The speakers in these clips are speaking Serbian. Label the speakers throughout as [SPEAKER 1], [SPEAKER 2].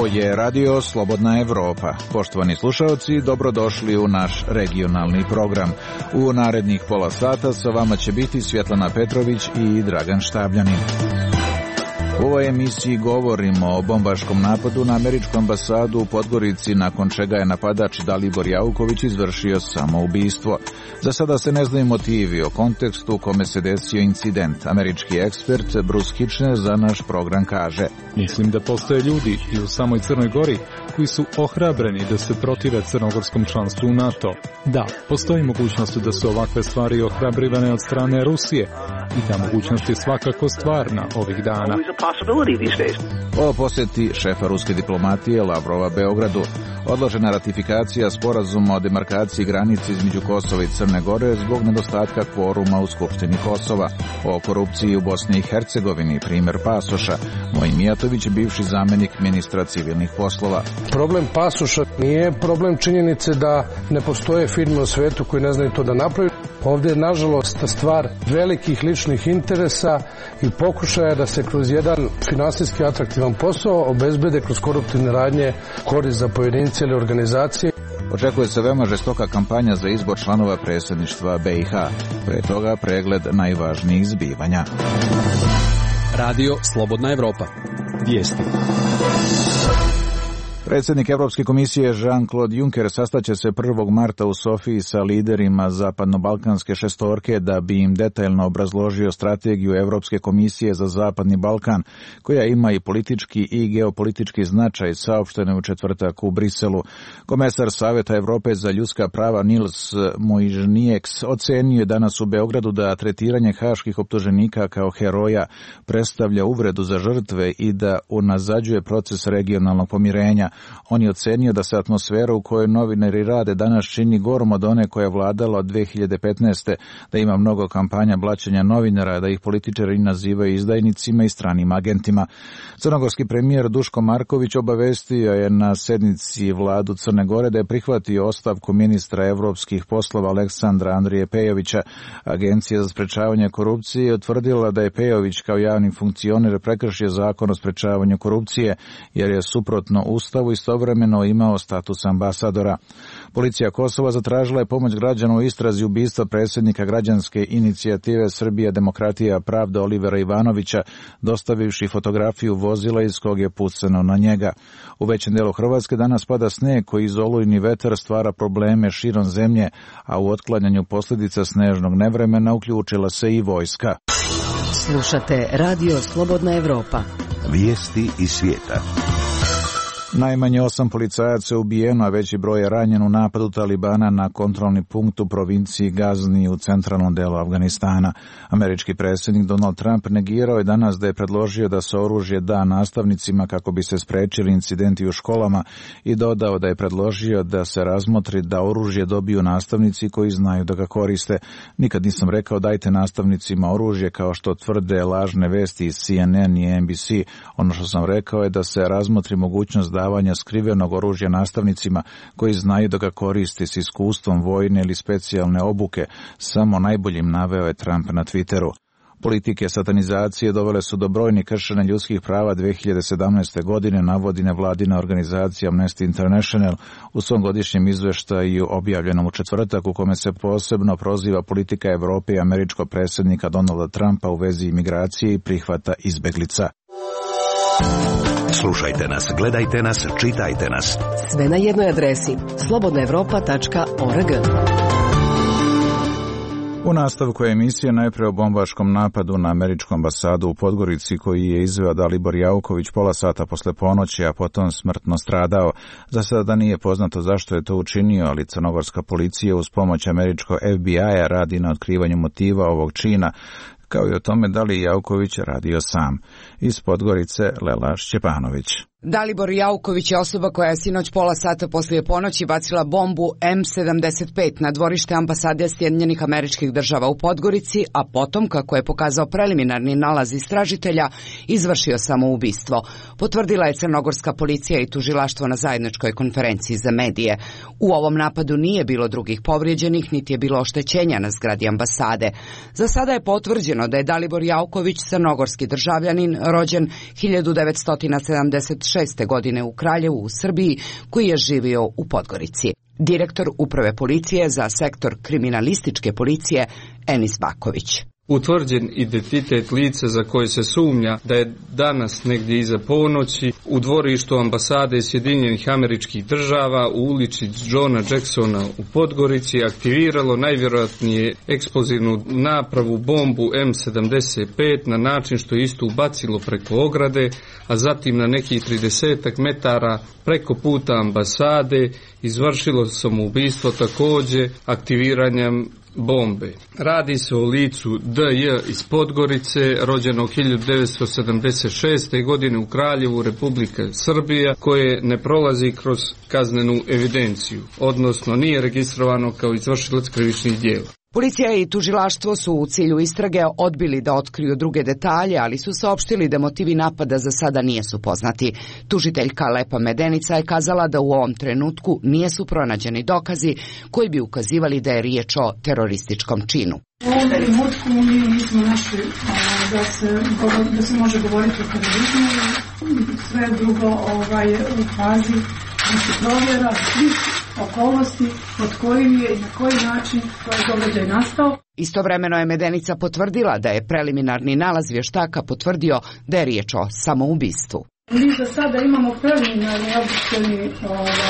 [SPEAKER 1] Ovo je Radio Slobodna Evropa. Poštovani slušalci, dobrodošli u naš regionalni program. U narednih pola sata sa vama će biti Svjetlana Petrović i Dragan Štabljanin. U ovoj emisiji govorimo o bombaškom napadu na američku ambasadu u Podgorici, nakon čega je napadač Dalibor Jauković izvršio samoubistvo. Za sada se ne znaju motivi o kontekstu u kome se desio incident. Američki ekspert Bruce Kitchener za naš program kaže:
[SPEAKER 2] Mislim da postoje ljudi i u samoj Crnoj Gori koji su ohrabreni da se protive crnogorskom članstvu u NATO. Da, postoji mogućnost da su ovakve stvari ohrabrivane od strane Rusije i ta mogućnost je svakako stvarna ovih dana.
[SPEAKER 1] O posjeti šefa ruske diplomatije Lavrova Beogradu. Odložena ratifikacija sporazuma o demarkaciji granice između Kosova i Crne Gore zbog nedostatka kvoruma u Skupštini Kosova. O korupciji u Bosni i Hercegovini, primjer pasoša. Mojin Mijatović, bivši zamjenik ministra civilnih poslova.
[SPEAKER 3] Problem pasoša nije problem činjenice da ne postoje firme u svetu koji ne znaju to da napravi. Ovdje je, nažalost, stvar velikih ličnih interesa i pokušaja da se kroz jedan finansijski atraktivan posao obezbede kroz koruptivne radnje korist za pojedince ili organizacije.
[SPEAKER 1] Očekuje se veoma žestoka kampanja za izbor članova predsjedništva BiH. Pre toga pregled najvažnijih zbivanja.
[SPEAKER 4] Radio Slobodna Evropa. Vijesti.
[SPEAKER 1] Predsjednik Evropske komisije Jean-Claude Juncker sastaće se 1. marta u Sofiji sa liderima zapadno-balkanske šestorke da bi im detaljno obrazložio strategiju Evropske komisije za Zapadni Balkan, koja ima i politički i geopolitički značaj, saopšteno u četvrtak u Briselu. Komesar Saveta Evrope za ljudska prava Nils Muižnieks ocenio je danas u Beogradu da tretiranje haških optuženika kao heroja predstavlja uvredu za žrtve i da unazađuje proces regionalnog pomirenja. On je ocenio da se atmosfera u kojoj novinari rade danas čini gorom od one koja je vladala od 2015. Da ima mnogo kampanja blaćenja novinara, da ih političari nazivaju izdajnicima i stranim agentima. Crnogorski premijer Duško Marković obavestio je na sednici vladu Crne Gore da je prihvatio ostavku ministra evropskih poslova Aleksandra Andrije Pejovića. Agencija za sprečavanje korupcije je utvrdila da je Pejović kao javni funkcioner prekršio zakon o sprečavanju korupcije, jer je suprotno Ustavu istovremeno imao status ambasadora. Policija Kosova zatražila je pomoć građana u istrazi ubistva predsjednika građanske inicijative Srbija, demokratija, pravda Olivera Ivanovića, dostavivši fotografiju vozila iz kog je pucano na njega. U većem delu Hrvatske danas pada sneg koji iz olujni vetar stvara probleme širom zemlje, a u otklanjanju posljedica snežnog nevremena uključila se i vojska.
[SPEAKER 5] Slušate Radio Slobodna Evropa.
[SPEAKER 6] Vijesti iz svijeta.
[SPEAKER 1] Najmanje 8 policajaca je ubijeno, a veći broj je ranjen u napadu Talibana na kontrolni punkt u provinciji Gazni u centralnom delu Afganistana. Američki predsjednik Donald Trump negirao je danas da je predložio da se oružje da nastavnicima kako bi se sprečili incidenti u školama i dodao da je predložio da se razmotri da oružje dobiju nastavnici koji znaju da ga koriste. Nikad nisam rekao dajte nastavnicima oružje kao što tvrde lažne vesti iz CNN i NBC. Ono što sam rekao je da se razmotri mogućnost davanja skrivenog oružja nastavnicima koji znaju da ga koriste s iskustvom vojne ili specijalne obuke, samo najboljim, naveo je Trump na Twitteru. Politike satanizacije dovele su do brojnih kršenja ljudskih prava 2017. godine, navodi nevladina organizacija Amnesty International u svom godišnjem izveštaju objavljenom u četvrtak, u kome se posebno proziva politika Evrope i američkog predsjednika Donalda Trumpa u vezi imigracije i prihvata izbeglica.
[SPEAKER 6] Slušajte nas, gledajte nas, čitajte nas.
[SPEAKER 5] Sve na jednoj adresi slobodnaevropa.org.
[SPEAKER 1] U nastavku emisije najprije o bombaškom napadu na američku ambasadu u Podgorici koji je izveo Dalibor Jauković pola sata posle ponoći, a potom smrtno stradao. Za sada nije poznato zašto je to učinio, ali crnogorska policija uz pomoć američkog FBI-a radi na otkrivanju motiva ovog čina, kao i o tome da li Jauković radio sam. Iz Podgorice Lela Šćepanović.
[SPEAKER 7] Dalibor Jauković je osoba koja je sinoć pola sata poslije ponoći bacila bombu M75 na dvorište ambasade Sjedinjenih Američkih Država u Podgorici, a potom, kako je pokazao preliminarni nalaz istražitelja, izvršio samoubistvo. Potvrdila je crnogorska policija i tužilaštvo na zajedničkoj konferenciji za medije. U ovom napadu nije bilo drugih povrijeđenih, niti je bilo oštećenja na zgradi ambasade. Za sada je potvrđeno da je Dalibor Jauković crnogorski državljanin, rođen 1976. 96. godine u Kraljevu u Srbiji, koji je živio u Podgorici. Direktor Uprave policije za sektor kriminalističke policije Enis Baković.
[SPEAKER 8] Utvrđen identitet lica za koje se sumnja da je danas negdje iza ponoći u dvorištu ambasade Sjedinjenih Američkih Država u ulici Johna Jacksona u Podgorici aktiviralo najvjerojatnije eksplozivnu napravu bombu M75 na način što je istu ubacilo preko ograde, a zatim na nekih 30 metara preko puta ambasade izvršilo samoubistvo također aktiviranjem bombe. Radi se o licu D.J. iz Podgorice, rođenog 1976. godine u Kraljevu, Republike Srbija, koje ne prolazi kroz kaznenu evidenciju, odnosno nije registrovano kao izvršilac krivičnih djela.
[SPEAKER 7] Policija i tužilaštvo su u cilju istrage odbili da otkriju druge detalje, ali su saopštili da motivi napada za sada nisu poznati. Tužiteljka Lepa Medenica je kazala da u ovom trenutku nisu pronađeni dokazi koji bi ukazivali da je riječ o terorističkom činu.
[SPEAKER 9] U ovom trenutku mi nismo našli da se može govoriti o terorizmu, sve drugo u fazi provjera svih okolnosti pod kojim je i na koji način taj događaj nastao.
[SPEAKER 7] Istovremeno je Medenica potvrdila da je preliminarni nalaz vještaka potvrdio da je riječ o samoubistvu.
[SPEAKER 9] Mi za sada imamo preliminarni obdukcijni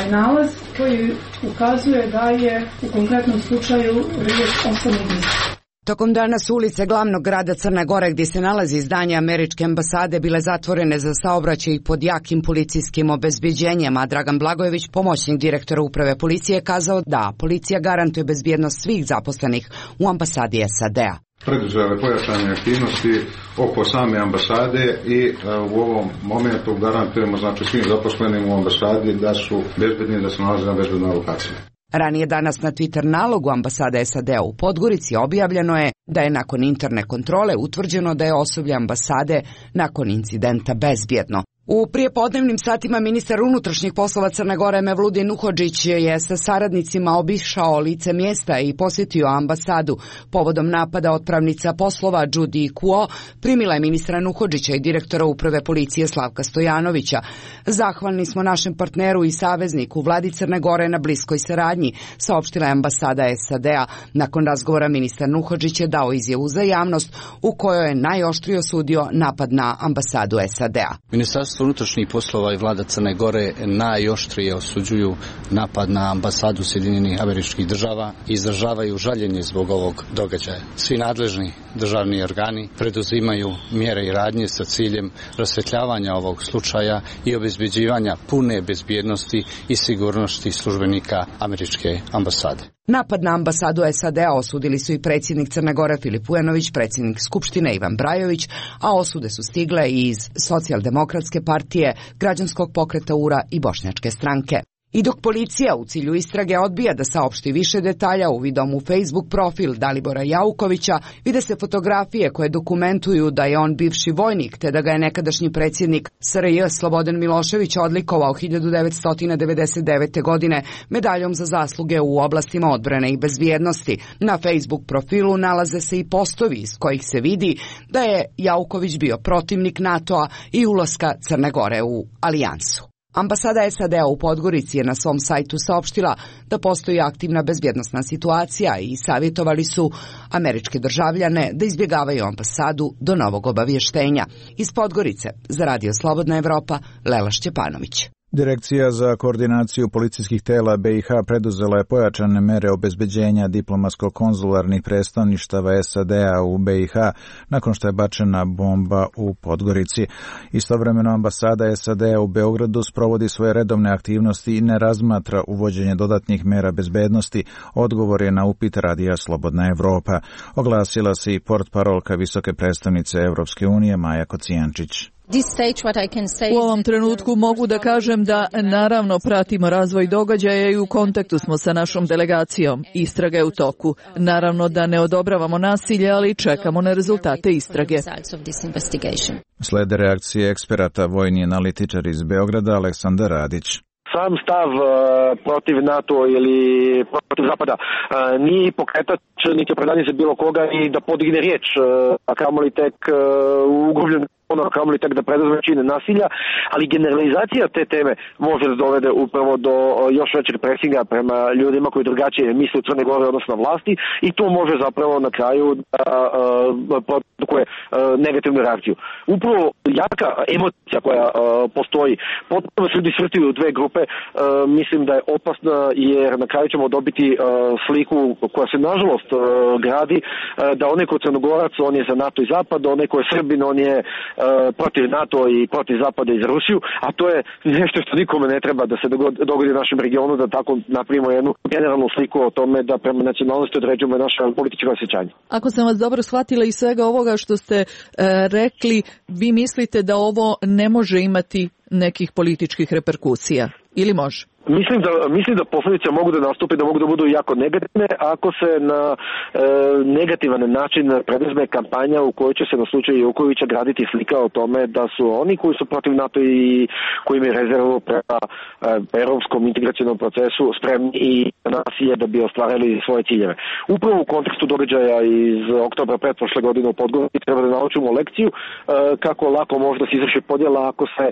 [SPEAKER 9] nalaz koji ukazuje da je u konkretnom slučaju riječ o samoubistvu.
[SPEAKER 7] Tokom dana su ulice glavnog grada Crne Gore, gdje se nalazi zdanje američke ambasade, bile zatvorene za saobraćaj pod jakim policijskim obezbeđenjem, a Dragan Blagojević, pomoćnik direktora Uprave policije, kazao da policija garantuje bezbjednost svih zaposlenih u ambasadi SAD-a.
[SPEAKER 10] Preduzele pojačane aktivnosti oko same ambasade i u ovom momentu garantujemo svim zaposlenim u ambasadi da su bezbedni, da se nalaze na bezbednoj lokaciji.
[SPEAKER 7] Ranije danas na Twitter nalogu ambasade SAD-a u Podgorici objavljeno je da je nakon interne kontrole utvrđeno da je osoblje ambasade nakon incidenta bezbjedno. U prijepodnevnim satima ministar unutrašnjih poslova Crne Gore Mevludin Uhodžić je sa saradnicima obišao lice mjesta i posjetio ambasadu. Povodom napada otpravnica poslova Judy Kuo primila je ministra Nuhodžića i direktora Uprave policije Slavka Stojanovića. Zahvalni smo našem partneru i savezniku vladi Crne Gore na bliskoj saradnji, saopštila je ambasada SAD-a. Nakon razgovora ministar Nuhodžić je dao izjavu za javnost u kojoj je najoštrije osudio napad na ambasadu SAD-a.
[SPEAKER 11] Ministarstvo unutrašnjih poslova i vlada Crne Gore najoštrije osuđuju napad na ambasadu Sjedinjenih Američkih Država i izražavaju žaljenje zbog ovog događaja. Svi nadležni državni organi preduzimaju mjere i radnje sa ciljem rasvjetljavanja ovog slučaja i obezbeđivanja pune bezbjednosti i sigurnosti službenika američke ambasade.
[SPEAKER 7] Napad na ambasadu SAD-a osudili su i predsjednik Crne Gore Filip Vujanović, predsjednik Skupštine Ivan Brajović, a osude su stigle i iz Socijaldemokratske partije, Građanskog pokreta URA i Bošnjačke stranke. I dok policija u cilju istrage odbija da saopšti više detalja, uvidom u Facebook profil Dalibora Jaukovića vide se fotografije koje dokumentuju da je on bivši vojnik, te da ga je nekadašnji predsjednik SRJ Slobodan Milošević odlikovao 1999. godine medaljom za zasluge u oblastima odbrane i bezbjednosti. Na Facebook profilu nalaze se i postovi iz kojih se vidi da je Jauković bio protivnik NATO-a i ulaska Crne Gore u alijansu. Ambasada SAD-a u Podgorici je na svom sajtu saopštila da postoji aktivna bezbjednosna situacija i savjetovali su američke državljane da izbjegavaju ambasadu do novog obavještenja. Iz Podgorice za Radio Slobodna Evropa, Lela Šćepanović.
[SPEAKER 1] Direkcija za koordinaciju policijskih tela BiH preduzela je pojačane mere obezbeđenja diplomatsko-konzularnih predstavništava SAD-a u BiH nakon što je bačena bomba u Podgorici. Istovremeno ambasada SAD-a u Beogradu sprovodi svoje redovne aktivnosti i ne razmatra uvođenje dodatnih mera bezbednosti, odgovor je na upit Radija Slobodna Evropa. Oglasila se i portparolka visoke predstavnice Evropske unije Maja Kocijančić.
[SPEAKER 12] U ovom trenutku mogu da kažem da naravno pratimo razvoj događaja i u kontaktu smo sa našom delegacijom. Istraga je u toku. Naravno da ne odobravamo nasilje, ali čekamo na rezultate istrage.
[SPEAKER 1] Slede reakcije eksperata, vojni analitičar iz Beograda Aleksandar Radić.
[SPEAKER 13] Sam stav protiv NATO ili protiv Zapada nije pokretač niti opravdanje za bilo koga i da podigne riječ, a kamoli tek u ugrubljenu ono kamoli tek da preduzme čine nasilja, ali generalizacija te teme može da dovede upravo do još većeg presinga prema ljudima koji drugačije misle u Crnoj Gori odnosno na vlasti i to može zapravo na kraju da produkuje negativnu reakciju. Upravo jaka emocija koja postoji, potpuno se ljudi svrstaju u dve grupe, mislim da je opasna jer na kraju ćemo dobiti sliku koja se nažalost gradi da onaj ko je Crnogorac, on je za NATO i Zapad, onaj ko je Srbin, on je protiv NATO i protiv Zapada i za Rusiju, a to je nešto što nikome ne treba da se dogodi u našem regionu, da tako napravimo jednu generalnu sliku o tome da prema nacionalnosti određujemo naše političko osjećanje.
[SPEAKER 12] Ako sam vas dobro shvatila iz svega ovoga što ste rekli, vi mislite da ovo ne može imati nekih političkih reperkusija ili može?
[SPEAKER 13] Mislim da posledice mogu da nastupe, da mogu da budu jako negativne ako se na negativan način preduzme kampanja u kojoj će se na slučaju Jukovića graditi slika o tome da su oni koji su protiv NATO i koji imaju rezervu prema europskom integracionom procesu spremni i nasilje da bi ostvarili svoje ciljeve. Upravo u kontekstu događaja iz oktobra pretprošle godine u Podgorici treba da naučimo lekciju kako lako može da se izvrši podjela ako se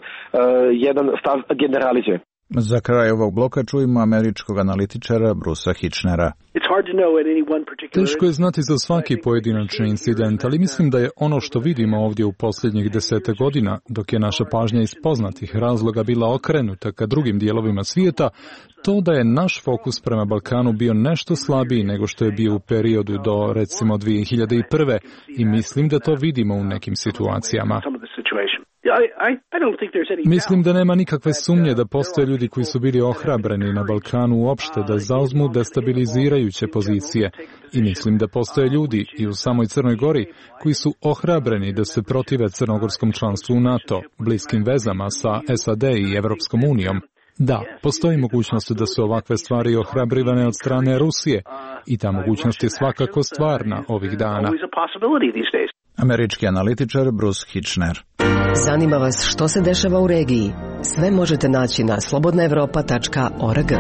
[SPEAKER 13] jedan stav generalizuje.
[SPEAKER 1] Za kraj ovog bloka čujemo američkog analitičara Brusa Hitchnera.
[SPEAKER 2] Teško je znati za svaki pojedinačni incident, ali mislim da je ono što vidimo ovdje u posljednjih 10 godina, dok je naša pažnja iz poznatih razloga bila okrenuta ka drugim dijelovima svijeta, to da je naš fokus prema Balkanu bio nešto slabiji nego što je bio u periodu do recimo 2001. I mislim da to vidimo u nekim situacijama. Mislim da nema nikakve sumnje da postoje ljudi koji su bili ohrabreni na Balkanu uopšte da zauzmu destabilizirajuće pozicije i mislim da postoje ljudi i u samoj Crnoj Gori koji su ohrabreni da se protive crnogorskom članstvu u NATO, bliskim vezama sa SAD i Evropskom unijom. Da, postoji mogućnost da su ovakve stvari ohrabrivane od strane Rusije i ta mogućnost je svakako stvarna ovih dana.
[SPEAKER 1] Američki analitičar Bruce Hitchner.
[SPEAKER 5] Zanima vas što se dešava u regiji? Sve možete naći na slobodnaevropa.org.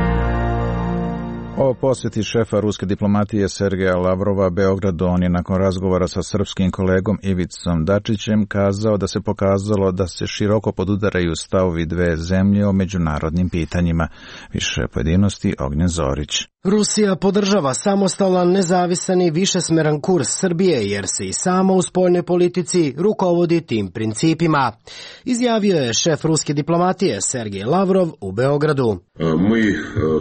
[SPEAKER 1] O posjeti šefa ruske diplomatije Sergeja Lavrova Beogradu, on je nakon razgovora sa srpskim kolegom Ivicom Dačićem kazao da se pokazalo da se široko podudaraju stavovi dve zemlje o međunarodnim pitanjima. Više pojedinosti Ognjen Zorić.
[SPEAKER 14] Rusija podržava samostalan, nezavisan i višesmeran kurs Srbije jer se i sama u spoljnoj politici rukovodi tim principima. Izjavio je šef ruske diplomatije Sergej Lavrov u Beogradu.
[SPEAKER 15] Mi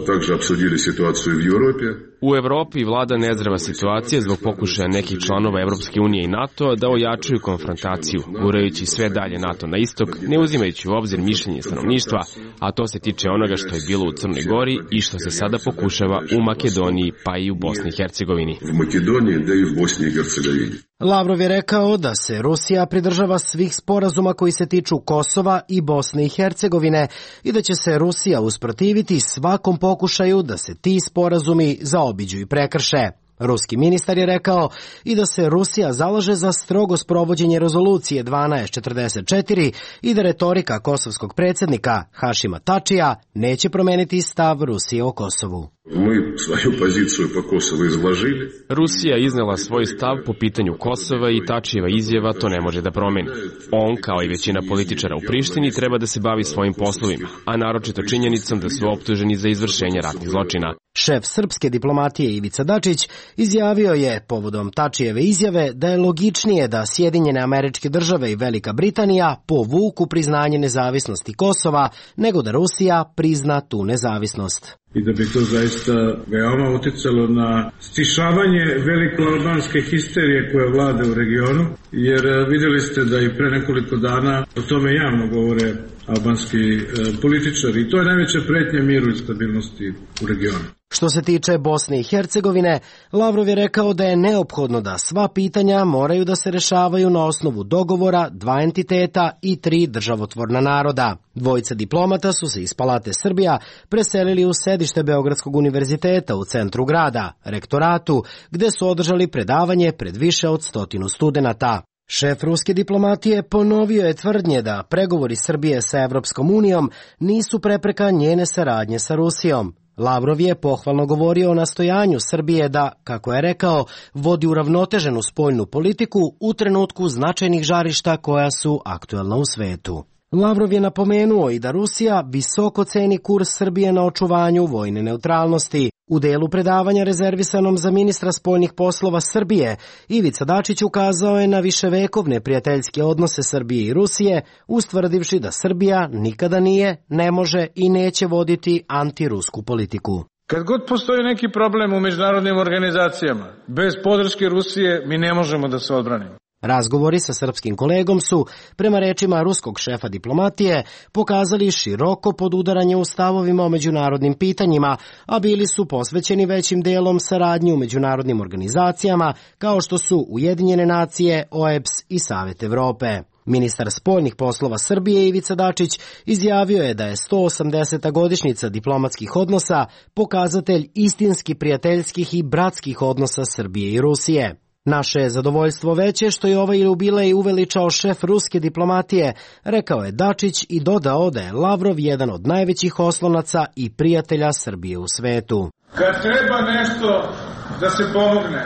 [SPEAKER 15] također obsudili situaciju u Europi.
[SPEAKER 16] U Evropi vlada nezdrava situacija zbog pokušaja nekih članova Evropske unije i NATO da ojačaju konfrontaciju, gurajući sve dalje NATO na istok, ne uzimajući u obzir mišljenje stanovništva, a to se tiče onoga što je bilo u Crnoj Gori i što se sada pokušava u Makedoniji pa i u Bosni i Hercegovini.
[SPEAKER 15] U Makedoniji da i u Bosni i Hercegovini.
[SPEAKER 14] Lavrov je rekao da se Rusija pridržava svih sporazuma koji se tiču Kosova i Bosne i Hercegovine i da će se Rusija usprotiviti svakom pokušaju da se ti sporazumi zaobiđu i prekrše. Ruski ministar je rekao i da se Rusija zalaže za strogo sprovođenje rezolucije 1244 i da retorika kosovskog predsjednika Hašima Tačija neće promeniti stav Rusije o Kosovu.
[SPEAKER 15] Mi svoju poziciju po Kosovu izložili.
[SPEAKER 16] Rusija je iznela svoj stav po pitanju Kosova i Tačijeva izjava to ne može da promeni. On, kao i većina političara u Prištini, treba da se bavi svojim poslovima, a naročito činjenicom da su optuženi za izvršenje ratnih zločina.
[SPEAKER 14] Šef srpske diplomatije Ivica Dačić izjavio je povodom Tačijeve izjave da je logičnije da Sjedinjene Američke Države i Velika Britanija povuku priznanje nezavisnosti Kosova nego da Rusija prizna tu nezavisnost.
[SPEAKER 17] I da bi to zaista veoma uticalo na stišavanje velikoalbanske histerije koja vlada u regionu, jer vidjeli ste da i pre nekoliko dana o tome javno govore albanski političari i to je najveća pretnja miru i stabilnosti u regionu.
[SPEAKER 14] Što se tiče Bosne i Hercegovine, Lavrov je rekao da je neophodno da sva pitanja moraju da se rešavaju na osnovu dogovora dva entiteta i tri državotvorna naroda. Dvojica diplomata su se iz Palate Srbija preselili u sedište Beogradskog univerziteta u centru grada, rektoratu, gde su održali predavanje pred više od 100 studenata. Šef ruske diplomatije ponovio je tvrdnje da pregovori Srbije sa Evropskom unijom nisu prepreka njene saradnje sa Rusijom. Lavrov je pohvalno govorio o nastojanju Srbije da, kako je rekao, vodi uravnoteženu spoljnu politiku u trenutku značajnih žarišta koja su aktuelna u svetu. Lavrov je napomenuo i da Rusija visoko ceni kurs Srbije na očuvanju vojne neutralnosti. U delu predavanja rezervisanom za ministra spoljnih poslova Srbije, Ivica Dačić ukazao je na viševekovne prijateljske odnose Srbije i Rusije, ustvrdivši da Srbija nikada nije, ne može i neće voditi antirusku politiku.
[SPEAKER 17] Kad god postoji neki problem u međunarodnim organizacijama, bez podrške Rusije mi ne možemo da se odbranimo.
[SPEAKER 14] Razgovori sa srpskim kolegom su, prema rečima ruskog šefa diplomatije, pokazali široko podudaranje u stavovima o međunarodnim pitanjima, a bili su posvećeni većim delom saradnji u međunarodnim organizacijama kao što su Ujedinjene nacije, OEBS i Savet Evrope. Ministar spoljnih poslova Srbije Ivica Dačić izjavio je da je 180. godišnjica diplomatskih odnosa pokazatelj istinski prijateljskih i bratskih odnosa Srbije i Rusije. Naše je zadovoljstvo veće što je ovaj jubilej uveličao šef ruske diplomatije, rekao je Dačić i dodao da je Lavrov jedan od najvećih oslonaca i prijatelja Srbije u svetu.
[SPEAKER 17] Kad treba nešto da se pomogne,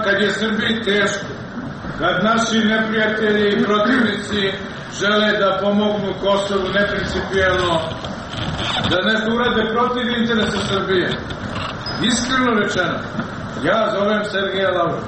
[SPEAKER 17] kad je Srbiji teško, kad naši neprijatelji i protivnici žele da pomognu Kosovu neprincipijelno, da nešto urade protiv interesa Srbije, iskreno rečeno, ja zovem Sergeja Lavrova.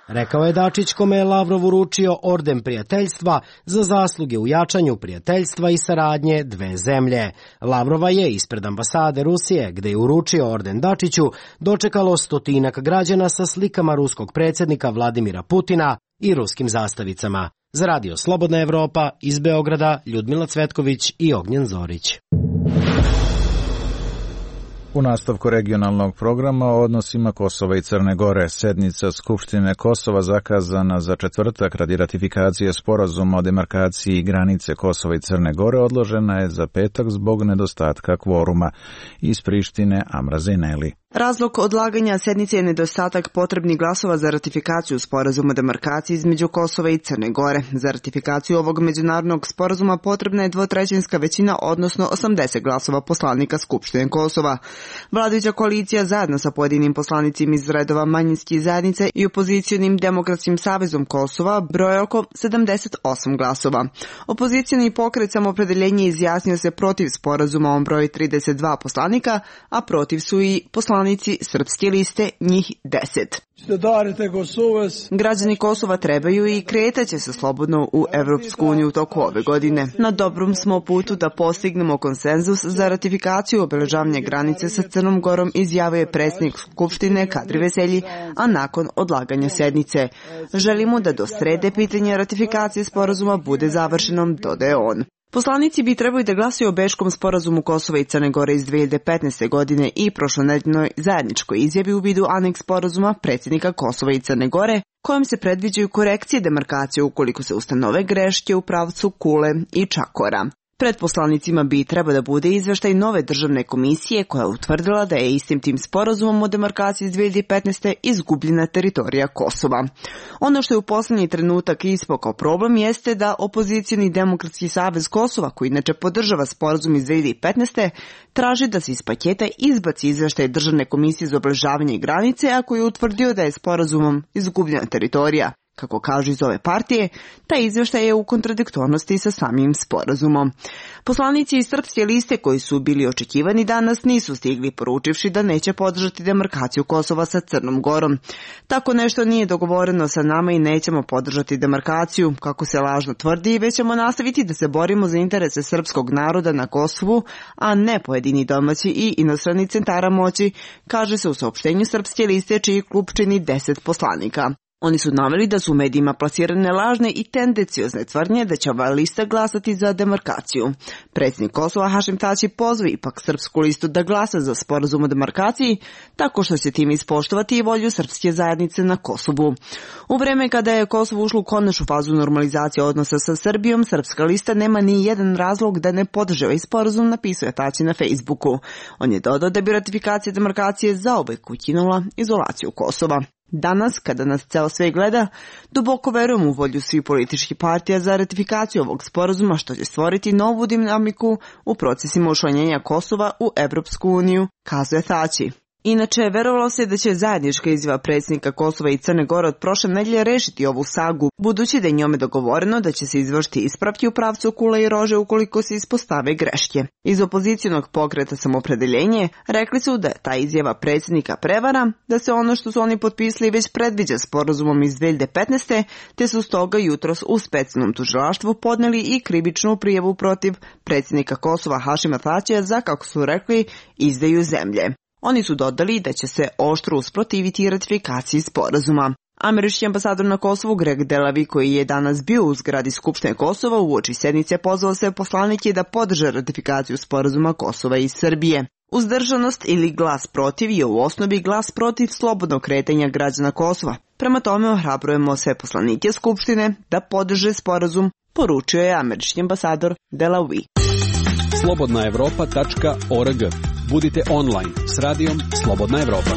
[SPEAKER 14] Rekao je Dačić, kome je Lavrov uručio orden prijateljstva za zasluge u jačanju prijateljstva i saradnje dve zemlje. Lavrova je ispred ambasade Rusije, gde je uručio orden Dačiću, dočekalo stotinak građana sa slikama ruskog predsjednika Vladimira Putina i ruskim zastavicama. Za Radio Slobodna Evropa iz Beograda, Ljudmila Cvetković i Ognjen Zorić.
[SPEAKER 1] U nastavku regionalnog programa o odnosima Kosova i Crne Gore, sednica Skupštine Kosova zakazana za četvrtak radi ratifikacije sporazuma o demarkaciji granice Kosova i Crne Gore odložena je za petak zbog nedostatka kvoruma. Iz Prištine Amra Zejneli.
[SPEAKER 18] Razlog odlaganja sednice je nedostatak potrebnih glasova za ratifikaciju sporazuma o demarkaciji između Kosova i Crne Gore. Za ratifikaciju ovog međunarodnog sporazuma potrebna je dvotrećinska većina, odnosno 80 glasova poslanika Skupštine Kosova. Vladajuća koalicija zajedno sa pojedinim poslanicima iz redova manjinskih zajednice i opozicionim Demokratskim savezom Kosova broje oko 78 glasova. Opozicijni pokret Samoopredeljenje izjasnio se protiv sporazuma, on broji 32 poslanika, a protiv su i poslanici Srpske liste, njih 10. Građani Kosova trebaju i kretaće se slobodno u Evropsku uniju u toku ove godine. Na dobrom smo putu da postignemo konsenzus za ratifikaciju obeležavanja granice sa Crnom Gorom, izjavio je predsjednik Skupštine Kadri Veselji, a nakon odlaganja sednice. Želimo da do srede pitanje ratifikacije sporazuma bude završenom, dodaje on. Poslanici bi trebali da glasaju o Bečkom sporazumu Kosova i Crne Gore iz 2015. godine i prošlonedeljnoj zajedničkoj izjavi u vidu aneks sporazuma predsjednika Kosova i Crne Gore, kojom se predviđaju korekcije demarkacije ukoliko se ustanove greške u pravcu Kule i Čakora. Pred poslanicima bi treba da bude izveštaj nove državne komisije koja je utvrdila da je istim tim sporazumom o demarkaciji iz 2015. izgubljena teritorija Kosova. Ono što je u poslednji trenutak ispao kao problem jeste da opozicijni Demokratski savez Kosova, koji inače podržava sporazum iz 2015. traži da se iz paketa izbaci izveštaj državne komisije za obeležavanje granice, a koji je utvrdio da je sporazumom izgubljena teritorija. Kako kažu iz ove partije, taj izveštaj je u kontradiktornosti sa samim sporazumom. Poslanici iz Srpske liste koji su bili očekivani danas nisu stigli, poručivši da neće podržati demarkaciju Kosova sa Crnom Gorom. Tako nešto nije dogovoreno sa nama i nećemo podržati demarkaciju, kako se lažno tvrdi, već ćemo nastaviti da se borimo za interese srpskog naroda na Kosovu, a ne pojedini domaći i inostrani centara moći, kaže se u saopštenju Srpske liste, čiji klub čini 10 poslanika. Oni su naveli da su u medijima plasirane lažne i tendenciozne tvrdnje da će ova lista glasati za demarkaciju. Predsjednik Kosova Hašim Tači pozvao ipak Srpsku listu da glasa za sporazum o demarkaciji, tako što će tim ispoštovati i volju srpske zajednice na Kosovu. U vreme kada je Kosovo ušlo u konačnu fazu normalizacije odnosa sa Srbijom, Srpska lista nema ni jedan razlog da ne podrži ovaj sporazum, napisao je Tači na Facebooku. On je dodao da bi ratifikacija demarkacije zauvek ukinula izolaciju Kosova. Danas, kada nas ceo svet gleda, duboko verujem u volju svih političkih partija za ratifikaciju ovog sporazuma, što će stvoriti novu dinamiku u procesima učlanjenja Kosova u Evropsku uniju, kazuje Thaçi. Inače, verovalo se da će zajednička izjava predsjednika Kosova i Crne Gore od prošle nedelje rešiti ovu sagu, budući da je njome dogovoreno da će se izvršiti ispravke u pravcu kule i rože ukoliko se ispostave greške. Iz opozicionog pokreta Samopredeljenje rekli su da je ta izjava predsjednika prevara, da se ono što su oni potpisali već predviđa sporazumom iz 2015. te su stoga jutros u specijalnom tužilaštvu podneli i krivičnu prijavu protiv predsjednika Kosova Hašima Thaçija za, kako su rekli, izdaju zemlje. Oni su dodali da će se oštro usprotiviti ratifikaciji sporazuma. Američki ambasador na Kosovu Greg Delavi, koji je danas bio u zgradi Skupštine Kosova uoči sednice, pozvao se poslanike da podrže ratifikaciju sporazuma Kosova i Srbije. Uzdržanost ili glas protiv je u osnovi glas protiv slobodnog kretanja građana Kosova. Prema tome ohrabrujemo sve poslanike Skupštine da podrže sporazum, poručio je američki ambasador Delavi.
[SPEAKER 4] slobodnaevropa.org. Budite online s radijom Slobodna Evropa.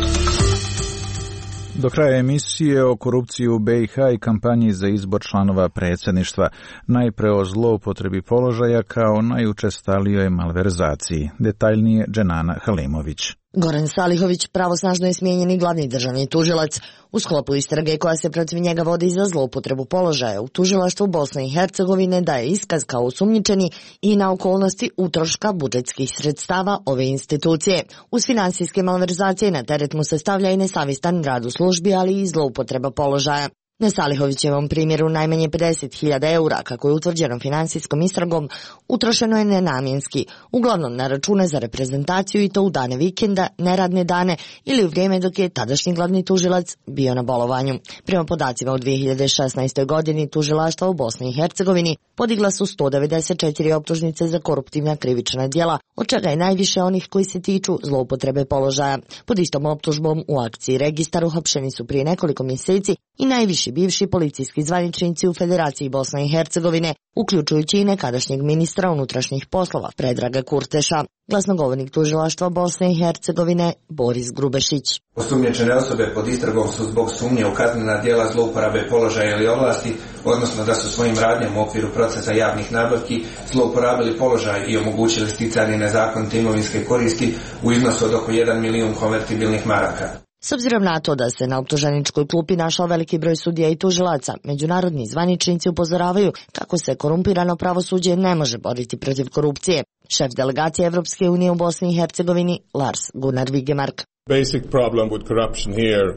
[SPEAKER 1] Do kraja emisije o korupciji u BiH i kampanji za izbor članova predsjedništva, najpre o zloupotrebi položaja kao najučestalijoj malverzaciji. Detaljnije Dženana Halimović.
[SPEAKER 19] Goran Salihović pravosnažno je smijenjeni glavni državni tužilac. U sklopu istrage koja se protiv njega vodi za zloupotrebu položaja u tužilaštvu Bosne i Hercegovine daje iskaz kao osumnjičeni i na okolnosti utroška budžetskih sredstava ove institucije. Uz finansijske malverzacije na teret mu se stavlja i nesavistan rad u službi, ali i zloupotreba položaja. Na Salihovićevom primjeru najmanje 50.000 eura, kako je utvrđeno finansijskom istragom, utrošeno je nenamjenski, uglavnom na račune za reprezentaciju i to u dane vikenda, neradne dane ili u vrijeme dok je tadašnji glavni tužilac bio na bolovanju. Prema podacima u 2016. godini tužilaštva u Bosni i Hercegovini podigla su 194 optužnice za koruptivna krivična djela, od čega je najviše onih koji se tiču zloupotrebe položaja. Pod istom optužbom u akciji Registar uhapšeni su prije nekoliko mjeseci i najviši bivši policijski zvaničnici u Federaciji Bosne i Hercegovine, uključujući i nekadašnjeg ministra unutrašnjih poslova Predraga Kurteša. Glasnogovornik tužilaštva Bosne i Hercegovine Boris Grubešić.
[SPEAKER 20] Osumnjičene osobe pod istragom su zbog sumnje u kaznena djela zlouporabe položaja ili ovlasti, odnosno da su svojim radnjama u okviru procesa javnih nabavki zlouporabili položaj i omogućili sticanje nezakonite imovinske koristi u iznosu od oko 1 milijun konvertibilnih maraka.
[SPEAKER 19] S obzirom na to da se na optuženičkoj klupi našao veliki broj sudija i tužilaca, međunarodni zvaničnici upozoravaju kako se korumpirano pravosuđe ne može boriti protiv korupcije. Šef delegacije Evropske unije u Bosni i Hercegovini Lars Gunnar Vigemark.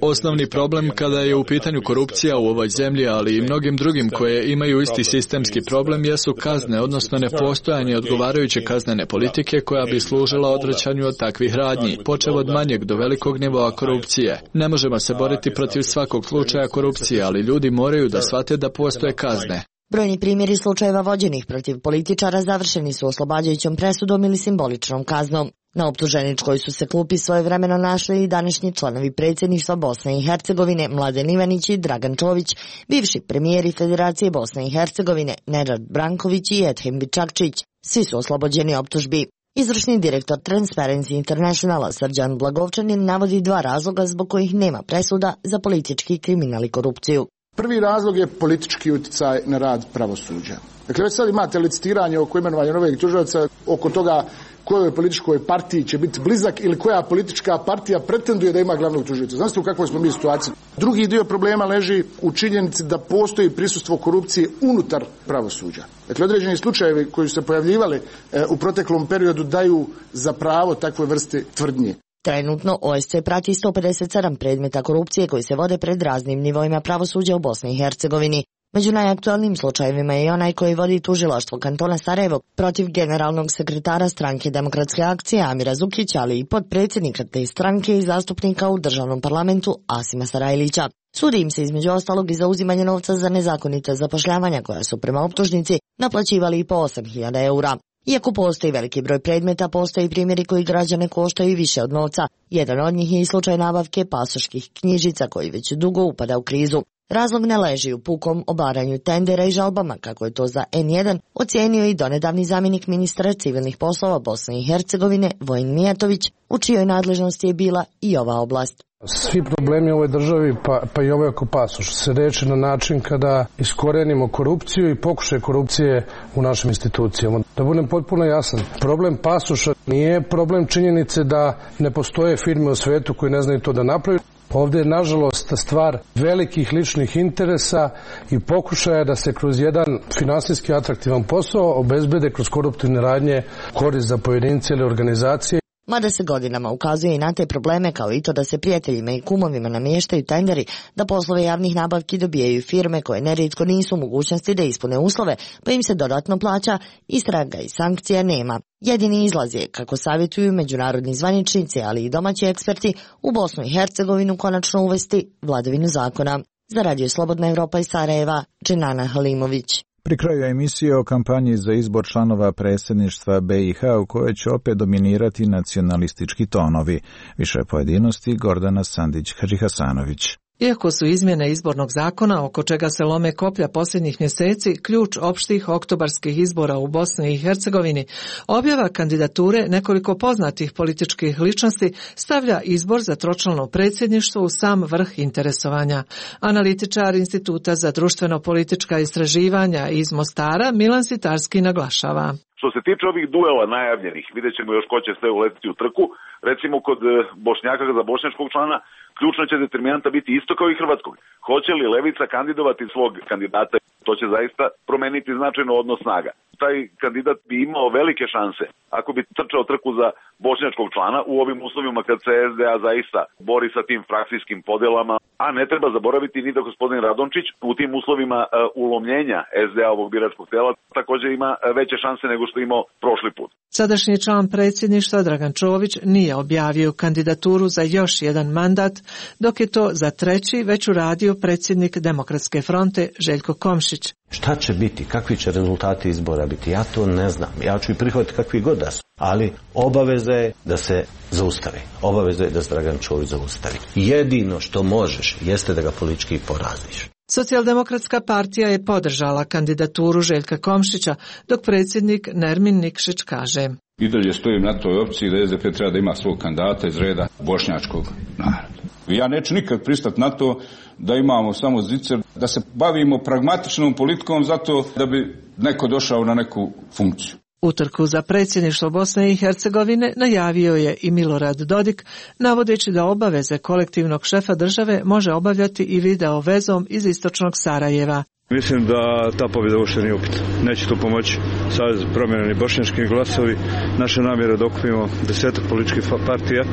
[SPEAKER 21] Osnovni problem kada je u pitanju korupcija u ovoj zemlji, ali i mnogim drugim koje imaju isti sistemski problem, jesu kazne, odnosno nepostojanje odgovarajuće kaznene politike koja bi služila odvraćanju od takvih radnji, počev od manjeg do velikog nivoa korupcije. Ne možemo se boriti protiv svakog slučaja korupcije, ali ljudi moraju da shvate da postoje kazne.
[SPEAKER 19] Brojni primjeri slučajeva vođenih protiv političara završeni su oslobađajućom presudom ili simboličnom kaznom. Na optuženičkoj su se klupi svojevremeno našli i današnji članovi predsjedništva Bosne i Hercegovine Mladen Ivanić i Dragan Čović, bivši premijeri Federacije Bosne i Hercegovine Nerad Branković i Edhem Bičakčić. Svi su oslobođeni optužbi. Izvršni direktor Transparency Internationala Srđan Blagovčanin navodi 2 razloga zbog kojih nema presuda za politički kriminal i korupciju.
[SPEAKER 22] Prvi razlog je politički utjecaj na rad pravosuđa. Dakle, već sad imate licitiranje oko imenovanja novih tužilaca, oko toga kojoj političkoj partiji će biti blizak ili koja politička partija pretenduje da ima glavnog tužioca. Znate u kakvoj smo mi situaciji? Drugi dio problema leži u činjenici da postoji prisustvo korupcije unutar pravosuđa. Dakle, određeni slučajevi koji su se pojavljivali u proteklom periodu daju za pravo takve vrste tvrdnje.
[SPEAKER 19] Trenutno OSCE prati 157 predmeta korupcije koji se vode pred raznim nivoima pravosuđa u Bosni i Hercegovini. Među najaktualnijim slučajevima je i onaj koji vodi tužilaštvo kantona Sarajevo protiv generalnog sekretara stranke Demokratske akcije Amira Zukića, ali i potpredsjednika te stranke i zastupnika u državnom parlamentu Asima Sarajlića. Sudi im se između ostalog i za uzimanje novca za nezakonite zapošljavanja koja su prema optužnici naplaćivali i po 8.000 eura. Iako postoji veliki broj predmeta, postoji primjeri koji građane koštaju i više od novca. Jedan od njih je i slučaj nabavke pasoških knjižica koji već dugo upada u krizu. Razlog ne leži u pukom obaranju tendera i žalbama, kako je to za N1 ocijenio i donedavni zamjenik ministra civilnih poslova Bosne i Hercegovine Vojin Mijatović, u čijoj nadležnosti je bila i ova oblast.
[SPEAKER 3] Svi problemi u ovoj državi, pa i ovaj oko pasoša, se reši na način kada iskorenimo korupciju i pokušaj korupcije u našim institucijama. Da budem potpuno jasan, problem pasoša nije problem činjenice da ne postoje firme u svetu koji ne znaju to da napravi. Ovdje je, nažalost, stvar velikih ličnih interesa i pokušaja da se kroz jedan finansijski atraktivan posao obezbede kroz koruptivne radnje korist za pojedince ili organizacije.
[SPEAKER 19] Mada se godinama ukazuje i na te probleme, kao i to da se prijateljima i kumovima namještaju tenderi, da poslove javnih nabavki dobijaju firme koje nerijetko nisu u mogućnosti da ispune uslove, pa im se dodatno plaća, istraga i sankcija nema. Jedini izlaz je, kako savjetuju međunarodni zvaničnici, ali i domaći eksperti, u Bosnu i Hercegovinu konačno uvesti vladavinu zakona. Za Radio Slobodna Evropa iz Sarajeva, Dženana Halimović.
[SPEAKER 1] Pri kraju emisije o kampanji za izbor članova predsjedništva BiH u kojoj će opet dominirati nacionalistički tonovi. Više pojedinosti Gordana Sandić-Hadžihasanović.
[SPEAKER 12] Iako su izmjene izbornog zakona, oko čega se lome koplja posljednjih mjeseci, ključ opštih oktobarskih izbora u Bosni i Hercegovini, objava kandidature nekoliko poznatih političkih ličnosti stavlja izbor za tročlano predsjedništvo u sam vrh interesovanja. Analitičar Instituta za društveno-politička istraživanja iz Mostara Milan Sitarski naglašava.
[SPEAKER 6] Što se tiče ovih duela najavljenih, vidjet ćemo još ko će sve uletiti u trku. Recimo kod Bošnjaka za bošnjačkog člana, ključna će determinanta biti isto kao i hrvatskog. Hoće li Levica kandidovati svog kandidata, to će zaista promeniti značajno odnos snaga. Taj kandidat bi imao velike šanse ako bi trčao trku za bošnjačkog člana u ovim uslovima kad se SDA zaista bori sa tim frakcijskim podelama, a ne treba zaboraviti ni da gospodin Radončić u tim uslovima ulomljenja SDA ovog biračkog tela također ima veće šanse nego što imao prošli put.
[SPEAKER 12] Sadašnji član predsjedništva Dragan Čović nije objavio kandidaturu za još jedan mandat, dok je to za treći već uradio predsjednik Demokratske fronte Željko Komšić.
[SPEAKER 23] Šta će biti, kakvi će rezultati izbora biti, ja to ne znam. Ja ću i prihvatiti kakvi god da su, ali obaveza je da se zaustavi. Obaveza je da se Dragan Čović zaustavi. Jedino što možeš jeste da ga politički poraziš.
[SPEAKER 12] Socijaldemokratska partija je podržala kandidaturu Željka Komšića, dok predsjednik Nermin Nikšić kaže:
[SPEAKER 24] I dalje stojim na toj opciji da SDP treba da ima svog kandidata iz reda bošnjačkog naroda. Ja neću nikad pristati na to da imamo samo zicer, da se bavimo pragmatičnom politikom zato da bi neko došao na neku funkciju.
[SPEAKER 12] Utrku za predsjedništvo Bosne i Hercegovine najavio je i Milorad Dodik, navodeći da obaveze kolektivnog šefa države može obavljati i video vezom iz istočnog Sarajeva.
[SPEAKER 25] Mislim da ta pobjeda uopšte nije upitna. Neće tu pomoći Savez promijenjeni bošnjački glasovi. Naša namjera da okupimo 10 političkih partija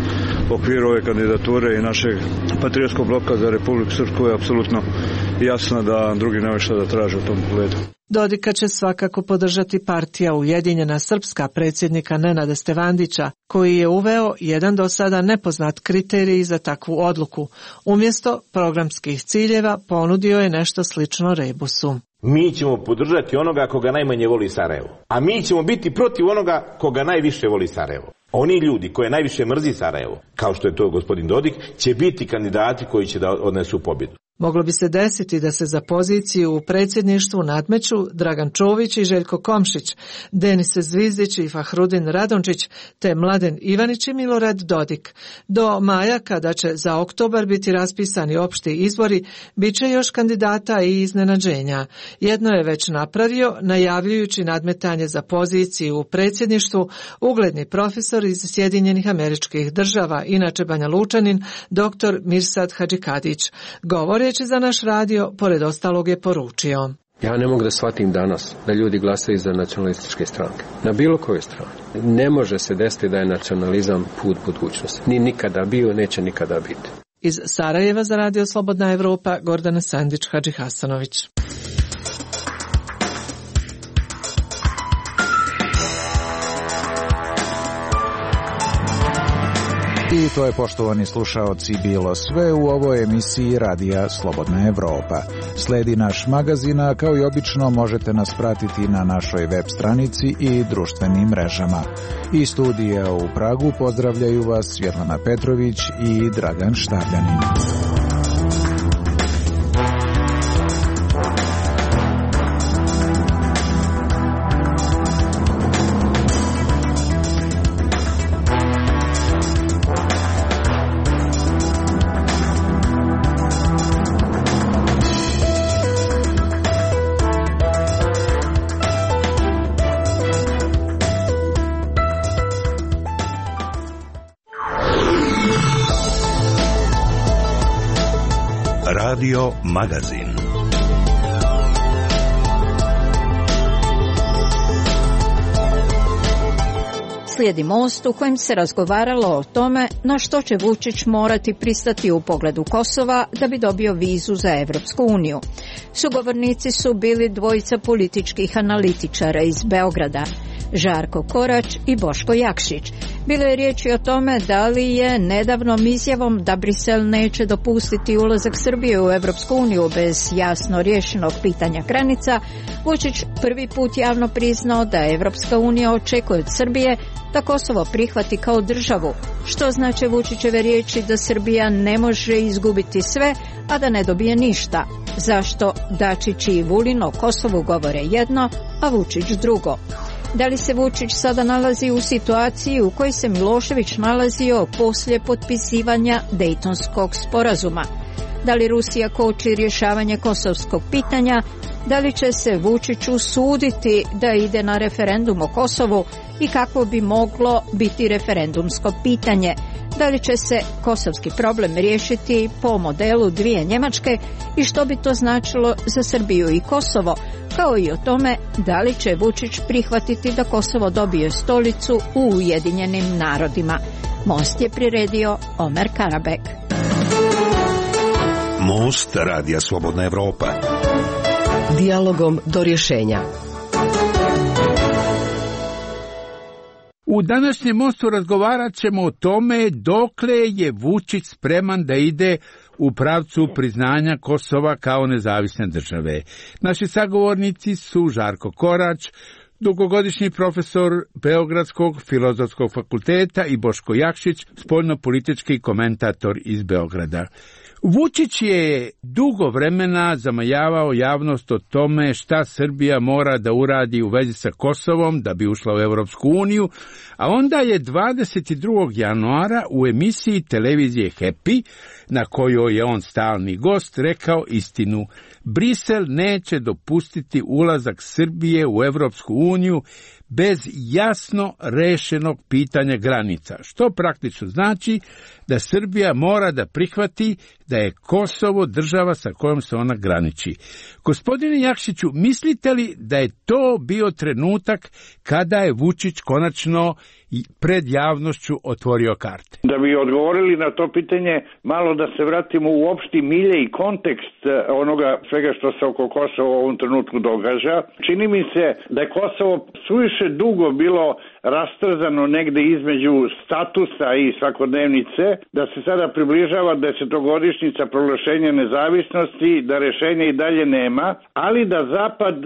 [SPEAKER 25] u okviru ove kandidature i našeg patriotskog bloka za Republiku Srpsku je apsolutno jasna da drugi nema šta da traže u tom pogledu.
[SPEAKER 12] Dodika će svakako podržati partija Ujedinjena Srpska predsjednika Nenada Stevandića, koji je uveo jedan do sada nepoznat kriterij za takvu odluku. Umjesto programskih ciljeva ponudio je nešto slično rebusu.
[SPEAKER 26] Mi ćemo podržati onoga koga najmanje voli Sarajevo, a mi ćemo biti protiv onoga koga najviše voli Sarajevo. Oni ljudi koje najviše mrzi Sarajevo, kao što je to gospodin Dodik, će biti kandidati koji će da odnesu pobjedu.
[SPEAKER 12] Moglo bi se desiti da se za poziciju u predsjedništvu nadmeću Dragan Čović i Željko Komšić, Denis Zvizdić i Fahrudin Radončić, te Mladen Ivanić i Milorad Dodik. Do maja, kada će za oktobar biti raspisani opšti izbori, bit će još kandidata i iznenađenja. Jedno je već napravio, najavljujući nadmetanje za poziciju u predsjedništvu, ugledni profesor iz Sjedinjenih Američkih Država, inače Banja Lučanin, dr. Mirsad Hadžikadić. Govoreći za naš radio, pored ostalog je poručio:
[SPEAKER 27] Ja ne mogu da shvatim danas da ljudi glasaju za nacionalističke stranke. Na bilo kojoj strani. Ne može se desiti da je nacionalizam put budućnosti. Ni nikada bio, neće nikada biti.
[SPEAKER 12] Iz Sarajeva za Radio Slobodna Evropa, Gordana Sandić-Hadžihasanović.
[SPEAKER 1] I to je, poštovani slušaoci, bilo sve u ovoj emisiji Radija Slobodna Evropa. Sledi naš magazin, a kao i obično možete nas pratiti na našoj web stranici i društvenim mrežama. Iz studija u Pragu pozdravljaju vas Svjetlana Petrović i Dragan Štavljanin.
[SPEAKER 2] Radio Magazin.
[SPEAKER 7] Slijedi Most u kojem se razgovaralo o tome na što će Vučić morati pristati u pogledu Kosova da bi dobio vizu za Evropsku uniju. Sugovornici su bili dvojica političkih analitičara iz Beograda, Žarko Korać i Boško Jakšić. Bilo je riječi o tome da li je nedavnom izjavom da Brisel neće dopustiti ulazak Srbije u Evropsku uniju bez jasno riješenog pitanja granica, Vučić prvi put javno priznao da Evropska unija očekuje od Srbije da Kosovo prihvati kao državu, što znači Vučićeve riječi da Srbija ne može izgubiti sve, a da ne dobije ništa. Zašto Dačić i Vulin o Kosovu govore jedno, a Vučić drugo? Da li se Vučić sada nalazi u situaciji u kojoj se Milošević nalazio poslije potpisivanja Dejtonskog sporazuma? Da li Rusija koči rješavanje kosovskog pitanja? Da li će se Vučić usuditi da ide na referendum o Kosovu i kako bi moglo biti referendumsko pitanje? Da li će se kosovski problem riješiti po modelu dvije Njemačke i što bi to značilo za Srbiju i Kosovo, kao i o tome da li će Vučić prihvatiti da Kosovo dobije stolicu u Ujedinjenim narodima. Most je priredio Omer Karabek.
[SPEAKER 2] Most Radija Slobodna Evropa.
[SPEAKER 5] Dijalogom do rješenja.
[SPEAKER 8] U današnjem Mostu razgovarat ćemo o tome dokle je Vučić spreman da ide u pravcu priznanja Kosova kao nezavisne države. Naši sagovornici su Žarko Korać, dugogodišnji profesor Beogradskog filozofskog fakulteta, i Boško Jakšić, spoljnopolitički komentator iz Beograda. Vučić je dugo vremena zamajavao javnost o tome šta Srbija mora da uradi u vezi sa Kosovom da bi ušla u Evropsku uniju, a onda je 22. januara u emisiji televizije Happy, na kojoj je on stalni gost, rekao istinu. Brisel neće dopustiti ulazak Srbije u Evropsku uniju bez jasno rešenog pitanja granica, što praktično znači da Srbija mora da prihvati da je Kosovo država sa kojom se ona graniči. Gospodine Jakšiću, mislite li da je to bio trenutak kada je Vučić konačno pred javnošću otvorio karte?
[SPEAKER 9] Da bi odgovorili na to pitanje, malo da se vratimo u opšti milje i kontekst onoga svega što se oko Kosova u ovom trenutku događa. Čini mi se da je Kosovo suviše dugo bilo rastrzano negde između statusa i svakodnevnice, da se sada približava 10-godišnjica proglašenja nezavisnosti, da rešenja i dalje nema, ali da Zapad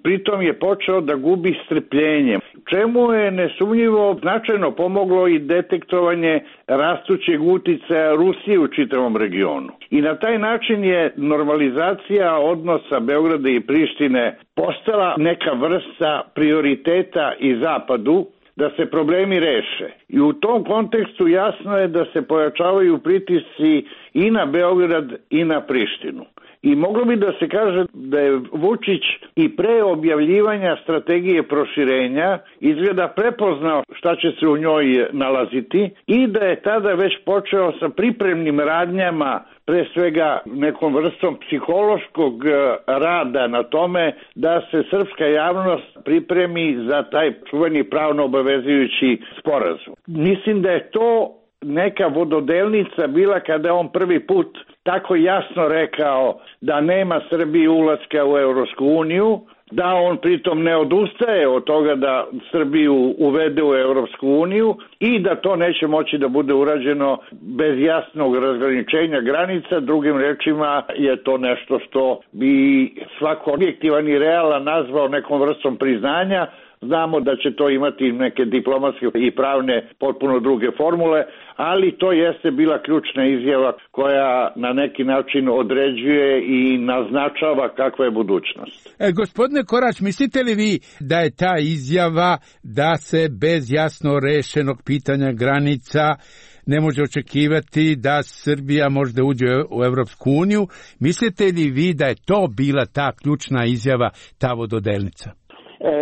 [SPEAKER 9] pritom je počeo da gubi strpljenje. Čemu je nesumnjivo značajno pomoglo i detektovanje rastućeg uticaja Rusije u čitavom regionu. I na taj način je normalizacija odnosa Beograda i Prištine postala neka vrsta prioriteta i Zapadu da se problemi reše. I u tom kontekstu jasno je da se pojačavaju pritisci i na Beograd i na Prištinu. I moglo bi da se kaže da je Vučić i pre objavljivanja strategije proširenja izgleda prepoznao šta će se u njoj nalaziti i da je tada već počeo sa pripremnim radnjama, pre svega nekom vrstom psihološkog rada na tome da se srpska javnost pripremi za taj čuveni pravno obavezujući sporazum. Mislim da je to neka vododelnica bila kada je on prvi put tako jasno rekao da nema Srbiji ulaska u Evropsku uniju, da on pritom ne odustaje od toga da Srbiju uvede u Evropsku uniju i da to neće moći da bude urađeno bez jasnog razgraničenja granica. Drugim rečima je to nešto što bi svako objektivan i realan nazvao nekom vrstom priznanja. Znamo da će to imati neke diplomatske i pravne potpuno druge formule, ali to jeste bila ključna izjava koja na neki način određuje i naznačava kakva je budućnost.
[SPEAKER 8] Gospodine Korać, mislite li vi da je ta izjava da se bez jasno rešenog pitanja granica ne može očekivati da Srbija možda uđe u Evropsku uniju, mislite li vi da je to bila ta ključna izjava, ta vododelnica?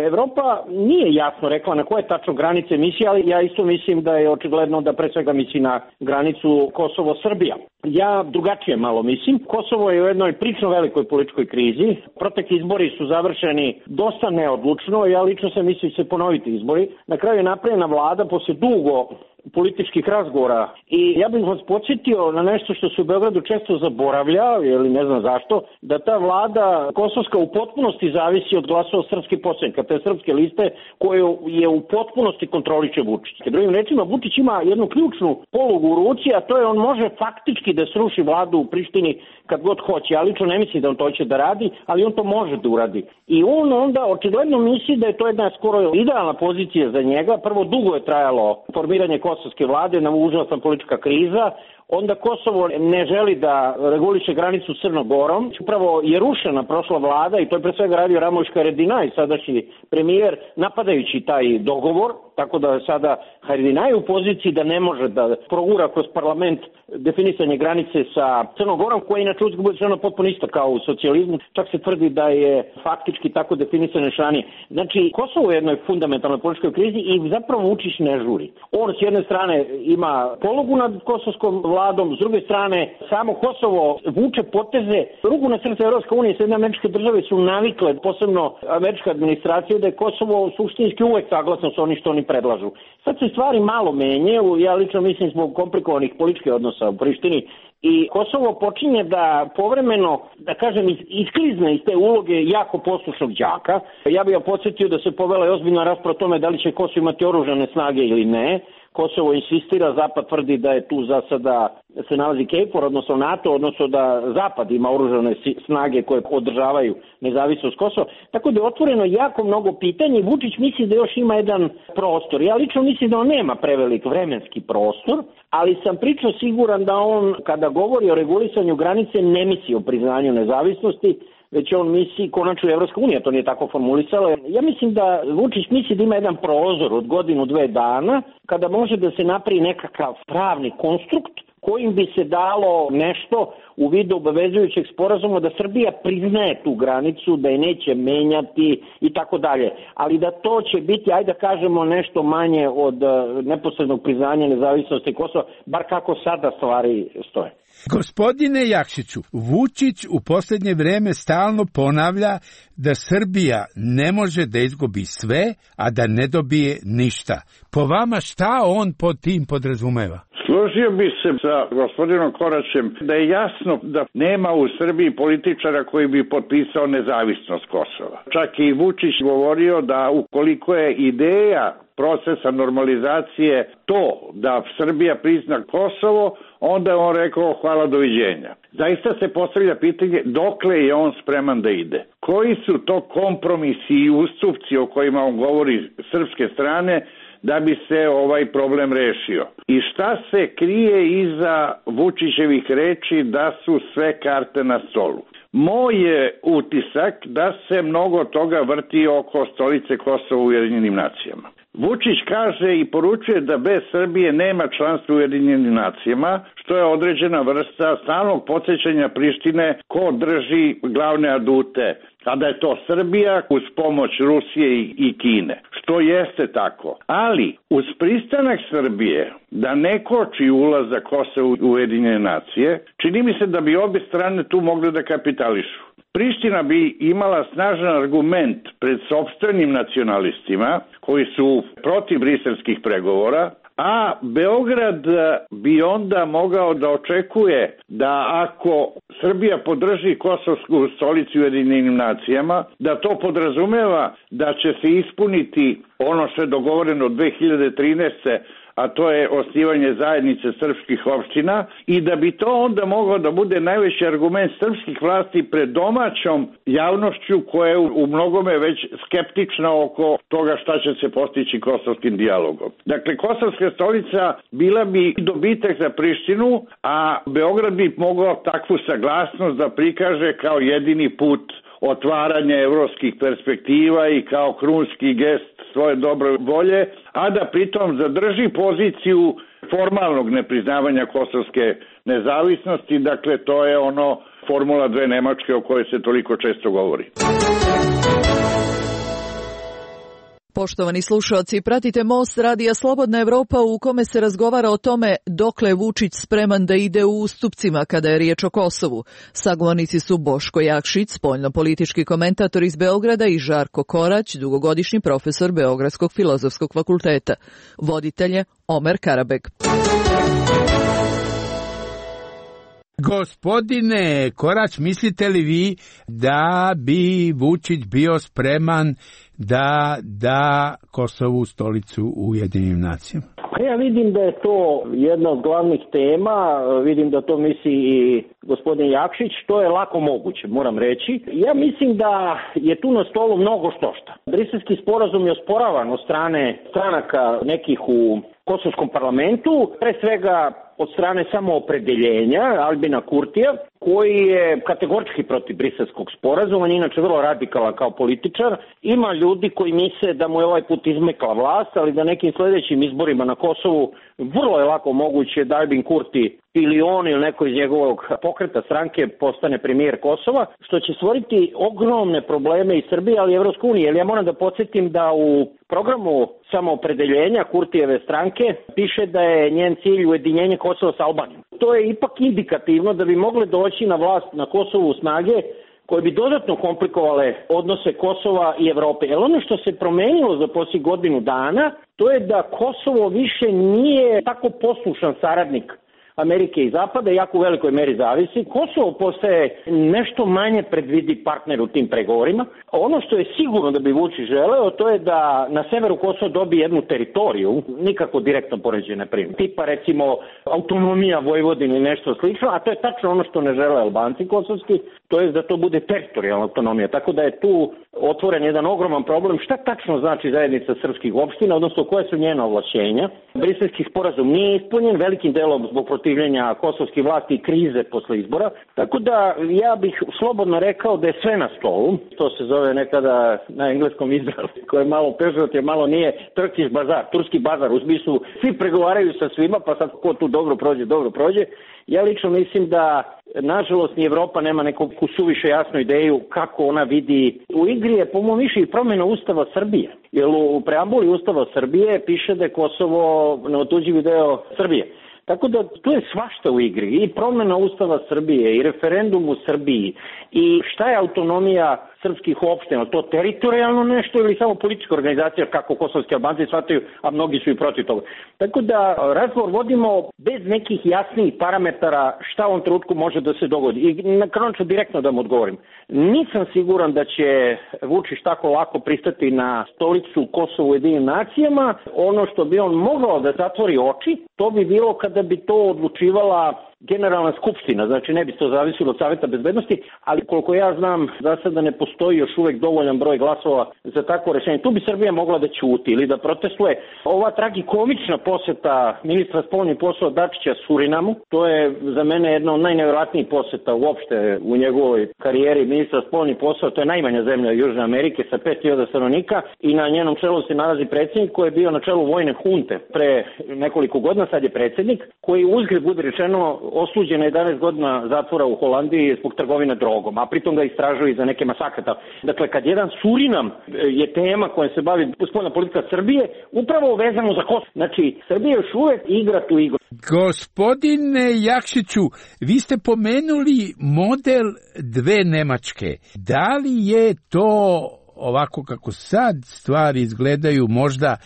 [SPEAKER 10] Evropa nije jasno rekla na koje tačno granice misli, ali ja isto mislim da je očigledno da pre svega misli na granicu Kosovo-Srbija. Ja drugačije malo mislim. Kosovo je u jednoj prično velikoj političkoj krizi. Protekli izbori su završeni dosta neodlučno. Ja lično sam mislim se ponoviti izbori. Na kraju je napravljena vlada posle dugo političkih razgovora i ja bih vas podsjetio na nešto što se u Beogradu često zaboravlja, ili ne znam zašto, da ta vlada kosovska u potpunosti zavisi od glasova srpskih poslanika, te srpske liste koju je u potpunosti kontroliše Vučić. Drugim rečima, Vučić ima jednu ključnu polugu u ruci, a to je on može faktički da sruši vladu u Prištini kad god hoće. Ja lično ne mislim da on to će da radi, ali on to može da uradi. I on onda očigledno misli da je to jedna skoro idealna pozicija za njega. Prvo, dugo je trajalo formiranje kosovske vlade, nam užasna politička kriza. Onda Kosovo ne želi da reguliše granicu s Crnom Gorom. Upravo je rušena prošla vlada i to je pre svega radio Ramuš Haradinaj, sadašnji premijer, napadajući taj dogovor, tako da sada Haradinaj u poziciji da ne može da progura kroz parlament definisanje granice sa Crnom Gorom, koja je inače uzgled bude žena potpuno isto kao u socijalizmu. Čak se tvrdi da je faktički tako definisane šanije. Znači, Kosovo je u jednoj fundamentalnoj političkoj krizi i zapravo Vučić ne žuri. On s jedne strane ima polugu nad kosovskom vladom, s druge strane samo Kosovo vuče poteze. Ruku na srce Evropska unija i Sjedinjene Američke Države su navikle, posebno američka administracija, da je Kosovo suštinski uvek saglasno sa onim što oni predlažu. Sad se stvari malo menjaju, ja lično mislim zbog komplikovanih političkih odnosa u Prištini, i Kosovo počinje da povremeno, da kažem, isklizne iz te uloge jako poslušnog đaka. Ja bih podsjetio da se povela ozbiljna rasprava o tome da li će Kosovo imati oružane snage ili ne. Kosovo insistira, Zapad tvrdi da je tu za sada se nalazi KFOR, odnosno NATO, odnosno da Zapad ima oružane snage koje održavaju nezavisnost Kosova. Tako da je otvoreno jako mnogo pitanja i Vučić misli da još ima jedan prostor. Ja lično mislim da on nema prevelik vremenski prostor, ali sam prično siguran da on, kada govori o regulisanju granice, ne misli o priznanju nezavisnosti, već on misli, konačno Evropska unija to nije tako formulisala. Ja mislim da Vučić misli da ima jedan prozor od godinu, 2 dana, kada može da se napravi nekakav pravni konstrukt kojim bi se dalo nešto u vidu obavezujućeg sporazuma da Srbija priznaje tu granicu, da je neće menjati i tako dalje. Ali da to će biti, ajde da kažemo, nešto manje od neposrednog priznanja nezavisnosti Kosova, bar kako sada stvari stoje.
[SPEAKER 8] Gospodine Jakšiću, Vučić u posljednje vreme stalno ponavlja da Srbija ne može da izgubi sve, a da ne dobije ništa. Po vama šta on pod tim podrazumeva?
[SPEAKER 9] Složio bi se sa gospodinom Koraćem da je jasno da nema u Srbiji političara koji bi potpisao nezavisnost Kosova. Čak i Vučić govorio da ukoliko je ideja procesa normalizacije to da Srbija prizna Kosovo, onda je on rekao hvala, doviđenja. Zaista se postavlja pitanje dokle je on spreman da ide. Koji su to kompromisi i ustupci o kojima on govori srpske strane da bi se ovaj problem rešio? I šta se krije iza Vučićevih reči da su sve karte na stolu? Moj je utisak da se mnogo toga vrti oko stolice Kosova u Ujedinjenim nacijama. Vučić kaže i poručuje da bez Srbije nema članstva u Ujedinjenim nacijama, što je određena vrsta stalnog podsjećanja Prištine ko drži glavne adute, a da je to Srbija uz pomoć Rusije i Kine, što jeste tako. Ali uz pristanak Srbije da ne koči ulazak Kosova u Ujedinjene nacije, čini mi se da bi obje strane tu mogle da kapitališu. Priština bi imala snažan argument pred sopstvenim nacionalistima koji su protiv briselskih pregovora, a Beograd bi onda mogao da očekuje da ako Srbija podrži kosovsku stolicu u Ujedinjenim nacijama, da to podrazumeva da će se ispuniti ono što je dogovoreno od 2013. a to je osnivanje zajednice srpskih opština i da bi to onda mogao da bude najveći argument srpskih vlasti pred domaćom javnošću koja je u mnogome već skeptična oko toga šta će se postići kosovskim dijalogom. Dakle, kosovska stolica bila bi dobitak za Prištinu, a Beograd bi mogao takvu saglasnost da prikaže kao jedini put otvaranja evropskih perspektiva i kao krunski gest svoje dobre volje, a da pritom zadrži poziciju formalnog nepriznavanja kosovske nezavisnosti. Dakle, to je ono formula dve Nemačke o kojoj se toliko često govori.
[SPEAKER 12] Poštovani slušalci, pratite Most radija Slobodna Evropa u kome se razgovara o tome dokle je Vučić spreman da ide u ustupcima kada je riječ o Kosovu. Sagovornici su Boško Jakšić, spoljnopolitički komentator iz Beograda, i Žarko Korać, dugogodišnji profesor Beogradskog filozofskog fakulteta. Voditelj je Omer Karabek.
[SPEAKER 8] Gospodine Korać, mislite li vi da bi Vučić bio spreman da da Kosovu stolicu u Ujedinjenim nacijama?
[SPEAKER 10] Ja vidim da je to jedna od glavnih tema, vidim da to misli i gospodin Jakšić, to je lako moguće, moram reći. Ja mislim da je tu na stolu mnogo štošta. Briselski sporazum je osporavan od strane stranaka nekih u kosovskom parlamentu, pre svega od strane samoopredeljenja Albina Kurtija, koji je kategorički protiv briselskog sporazuma, on je inače vrlo radikalan kao političar. Ima ljudi koji misle da mu je ovaj put izmekla vlast, ali da nekim sljedećim izborima na Kosovu vrlo je lako moguće da Albin Kurti ili on ili neko iz njegovog pokreta stranke postane premijer Kosova, što će stvoriti ogromne probleme i Srbije, ali i Evropske unije. Jer ja moram da podsjetim da u programu samoopredeljenja Kurtijeve stranke piše da je njen cilj ujedinjenje Kosova sa Albanijom. To je ipak indikativno da bi mogle doći na vlast na Kosovu snage koje bi dodatno komplikovale odnose Kosova i Evrope. Jer ono što se promenilo za posljednjih godinu dana, to je da Kosovo više nije tako poslušan saradnik Amerike i Zapada, jako u velikoj meri zavisi. Kosovo postaje nešto manje predvidi partner u tim pregovorima. Ono što je sigurno da bi Vučić želeo, to je da na severu Kosova dobije jednu teritoriju, nikako direktno poređene primjer. Tipa recimo autonomija Vojvodine ili nešto slično, a to je tačno ono što ne žele Albanci kosovski, to je da to bude teritorijalna autonomija. Tako da je tu otvoren jedan ogroman problem. Šta tačno znači zajednica srpskih opština, odnosno koje su njena ovlašćenja? Briselski sporazum nije ispunjen, velikim delom zbog protivljenja kosovskih vlasti i krize posle izbora. Tako da ja bih slobodno rekao da je sve na stolu. To se zove nekada na engleskom Izrael, koje je malo pežorativno, malo nije Turkish bazar, turski bazar, u smislu svi pregovaraju sa svima, pa sad ko tu dobro prođe. Ja lično mislim da nažalost ni Evropa nema neku suviše jasnu ideju kako ona vidi. U igri je po mom mišljenju promjena Ustava Srbije. Jer u preambuli Ustava Srbije piše da je Kosovo neotuđivi deo Srbije. Tako da tu je svašta u igri, i promjena Ustava Srbije, i referendum u Srbiji, i šta je autonomija srpskih opština, to teritorijalno nešto ili samo politička organizacija kako kosovski Albanci shvataju, a mnogi su i protiv toga. Tako da razgovor vodimo bez nekih jasnih parametara šta u ovom trenutku može da se dogodi. I na kraju ću direktno da mu odgovorim. Nisam siguran da će Vučić tako lako pristati na stolicu Kosova u Ujedinjenim nacijama. Ono što bi on mogao da zatvori oči, to bi bilo kada bi to odlučivala Generalna skupština, znači ne bi to zavisilo od Saveta bezbednosti, ali koliko ja znam, za sada ne postoji još uvek dovoljan broj glasova za takvo rešenje. Tu bi Srbija mogla da ćuti ili da protestuje. Ova tragikomična poseta ministra spoljnih poslova Dačića Surinamu, to je za mene jedna od najnevjerojatnijih poseta uopšte u njegovoj karijeri ministra spoljnih poslova. To je najmanja zemlja Južne Amerike sa 5.000 stanovnika i na njenom čelu se nalazi predsjednik koji je bio na čelu vojne hunte pre nekoliko godina, sad je predsjednik, koji uzgred bude rečeno osuđen na 11 godina zatvora u Holandiji zbog trgovine drogom, a pritom ga istražuju i za neke masakre. Dakle, kad jedan Surinam je tema koja se bavi spoljna politika Srbije, upravo vezano za Kosovo. Znači, Srbija još uvek igra tu igru.
[SPEAKER 8] Gospodine Jakšiću, vi ste pomenuli model dve Nemačke. Da li je to, ovako kako sad stvari izgledaju, možda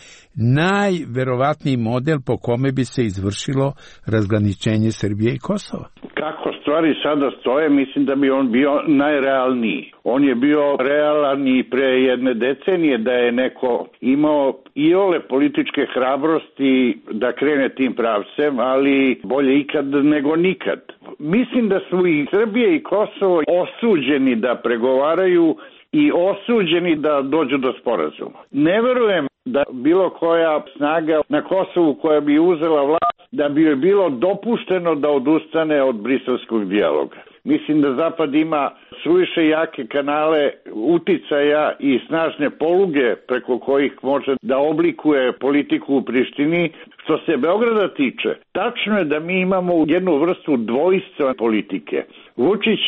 [SPEAKER 8] najverovatniji model po kome bi se izvršilo razgraničenje Srbije i Kosova?
[SPEAKER 9] Kako stvari sada stoje, mislim da bi on bio najrealniji. On je bio realan i pre jedne decenije da je neko imao iole političke hrabrosti da krene tim pravcem, ali bolje ikad nego nikad. Mislim da su i Srbije i Kosovo osuđeni da pregovaraju i osuđeni da dođu do sporazuma. Ne verujem da bilo koja snaga na Kosovu koja bi uzela vlast, da bi joj bilo dopušteno da odustane od briselskog dijaloga. Mislim da Zapad ima suviše jake kanale uticaja i snažne poluge preko kojih može da oblikuje politiku u Prištini. Što se Beograda tiče, tačno je da mi imamo jednu vrstu dvojstva politike. Vučić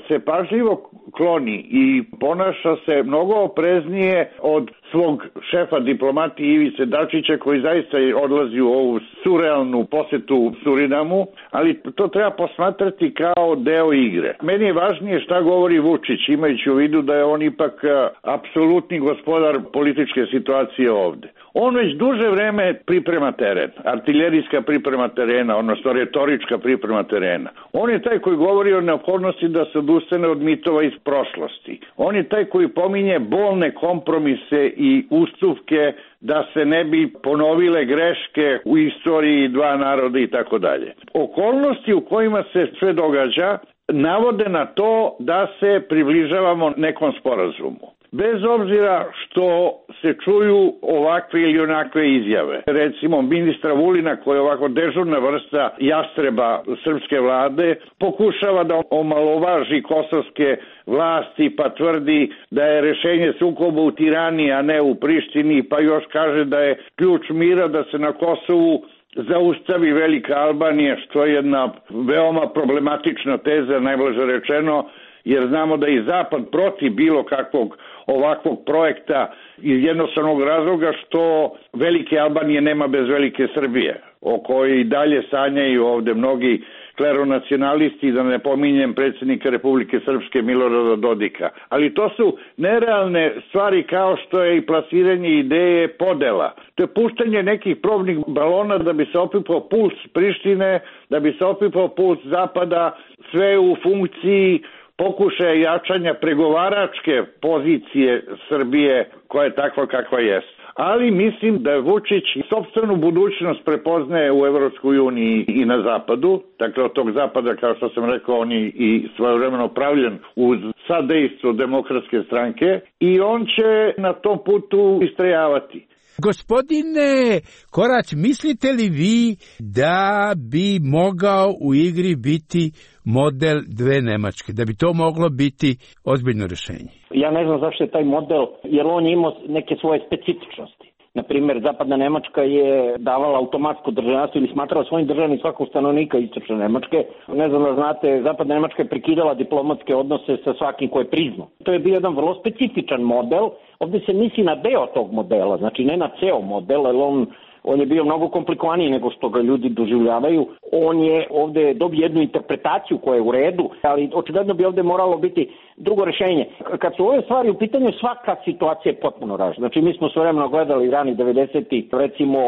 [SPEAKER 9] se pažljivo kloni i ponaša se mnogo opreznije od svog šefa diplomatije Ivice Dačića, koji zaista odlazi u ovu surrealnu posetu Surinamu, ali to treba posmatrati kao deo igre. Meni je važnije šta govori Vučić, imajući u vidu da je on ipak apsolutni gospodar političke situacije ovde. On već duže vreme priprema teren, artiljerijska priprema terena, odnosno retorička priprema terena. On je taj koji govori o neophodnosti da se odustane od mitova iz prošlosti. On je taj koji pominje bolne kompromise i ustupke da se ne bi ponovile greške u istoriji dva naroda i tako dalje. Okolnosti u kojima se sve događa navode na to da se približavamo nekom sporazumu. Bez obzira što se čuju ovakve ili onakve izjave. Recimo ministra Vulina, koji je ovako dežurna vrsta jastreba srpske vlade, pokušava da omalovaži kosovske vlasti pa tvrdi da je rešenje sukoba u Tirani, a ne u Prištini, pa još kaže da je ključ mira da se na Kosovu zaustavi Velika Albanija, što je jedna veoma problematična teza, najblaže rečeno, jer znamo da je i Zapad protiv bilo kakvog ovakvog projekta iz jednostavnog razloga što Velike Albanije nema bez Velike Srbije, o kojoj i dalje sanjaju ovde mnogi kleronacionalisti, da ne pominjem predsjednika Republike Srpske Milorada Dodika. Ali to su nerealne stvari kao što je i plasiranje ideje podela. To je puštanje nekih probnih balona da bi se opipao puls Prištine, da bi se opipao puls Zapada, sve u funkciji pokušaja jačanja pregovaračke pozicije Srbije koja je takva kakva jest. Ali mislim da Vučić sopstvenu budućnost prepoznaje u Evropskoj uniji i na Zapadu. Dakle, od tog Zapada, kao što sam rekao, on je i svojevremeno pravljen uz sadejstvo Demokratske stranke i on će na tom putu istrajavati.
[SPEAKER 8] Gospodine Korać, mislite li vi da bi mogao u igri biti model dve Nemačke, da bi to moglo biti ozbiljno rješenje?
[SPEAKER 10] Ja ne znam zašto je taj model, jer on je imao neke svoje specifičnosti. Naprimjer, zapadna Nemačka je davala automatsko državljanstvo ili smatrala svojim državnim svakog stanovnika istočne Nemačke. Ne znam da znate, zapadna Nemačka je prekidala diplomatske odnose sa svakim ko je priznao. To je bio jedan vrlo specifičan model. Ovdje se misli na deo tog modela, znači ne na ceo model, jer on je bio mnogo komplikovaniji nego što ga ljudi doživljavaju. On je ovdje dobio jednu interpretaciju koja je u redu, ali očigledno bi ovdje moralo biti drugo rješenje. Kad su ove stvari u pitanju, svaka situacija je potpuno različita. Znači mi smo svojevremeno gledali rani 90-ih, recimo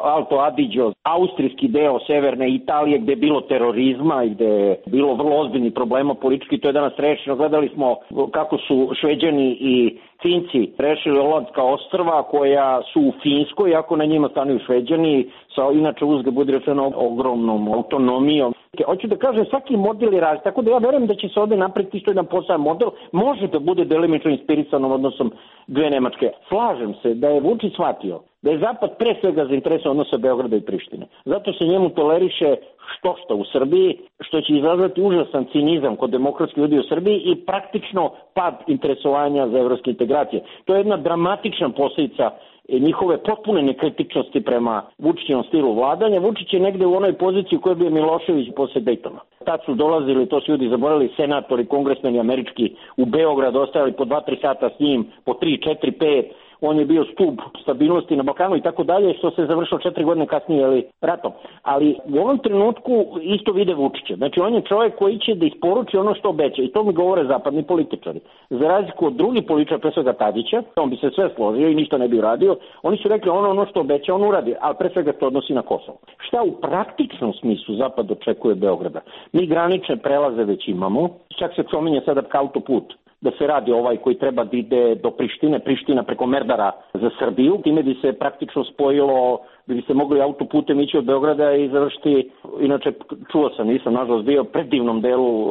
[SPEAKER 10] Alto Adige, austrijski deo severne Italije gdje je bilo terorizma i gdje je bilo vrlo ozbiljnih problema politički, to je danas rešeno. Gledali smo kako su Šveđani i Finci rešili Olandska ostrva koja su u Finskoj, ako na njima stanuju Šveđani, sa inače uzga budi rečeno ogromnom autonomijom. Hoću da kažem, svaki model je različit, tako da ja verujem da će se ovdje napraviti isto jedan poseban model, može da bude delimično inspirisanom odnosom dve Nemačke. Slažem se da je Vučić shvatio da je Zapad pre svega zainteresovan odnosa Beograda i Prištine. Zato se njemu toleriše što u Srbiji, što će izazvati užasan cinizam kod demokratskih ljudi u Srbiji i praktično pad interesovanja za evropske integracije. To je jedna dramatična posljedica njihove potpune nekritičnosti prema Vučićevom stilu vladanja. Vučić je negde u onoj poziciji u kojoj bio Milošević posle Dejtona. Tad su dolazili, to su ljudi zaboravili, senatori, kongresmeni američki u Beograd, ostajali po 2-3 sata s njim, po 3, 4, 5. On je bio stup stabilnosti na Balkanu i tako dalje, što se završilo 4 godine kasnije ratom. Ali u ovom trenutku isto vide Vučića. Znači on je čovjek koji će da isporuči ono što obeća i to mi govore zapadni političari. Za razliku od drugih političara, pre svega Tadića, on bi se sve složio i ništa ne bi uradio. Oni su rekli ono što obeća on uradi, ali pre svega to odnosi na Kosovo. Šta u praktičnom smislu Zapad očekuje Beograda? Mi granične prelaze već imamo, čak se spominje sada autoput da se radi ovaj koji treba da ide do Prištine, Priština preko Merdara za Srbiju. Time bi se praktično spojilo, bi se mogli autoputem ići od Beograda i završiti, inače čuo sam, nisam nažalost bio, predivnom delu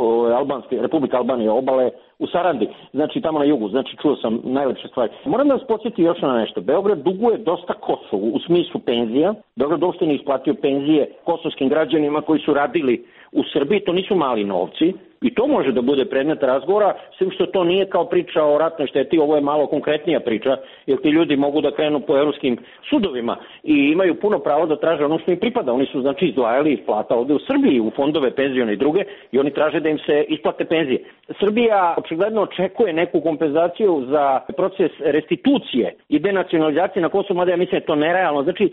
[SPEAKER 10] Republike Albanije obale u Sarandi, znači tamo na jugu, znači čuo sam najlepše stvari. Moram da vas podsjeti još na nešto. Beograd duguje dosta Kosovu u smislu penzija. Beograd uopšte ne isplatio penzije kosovskim građanima koji su radili u Srbiji, to nisu mali novci. I to može da bude predmet razgovora, sem što to nije kao priča o ratnoj šteti, ovo je malo konkretnija priča, jer ti ljudi mogu da krenu po evropskim sudovima i imaju puno pravo da traže ono što im pripada. Oni su znači izdvajali iz plata ovde u Srbiji, u fondove penzione i druge, i oni traže da im se isplate penzije. Srbija očigledno očekuje neku kompenzaciju za proces restitucije i denacionalizacije na Kosovu, mada ja mislim da je to nerealno. Znači,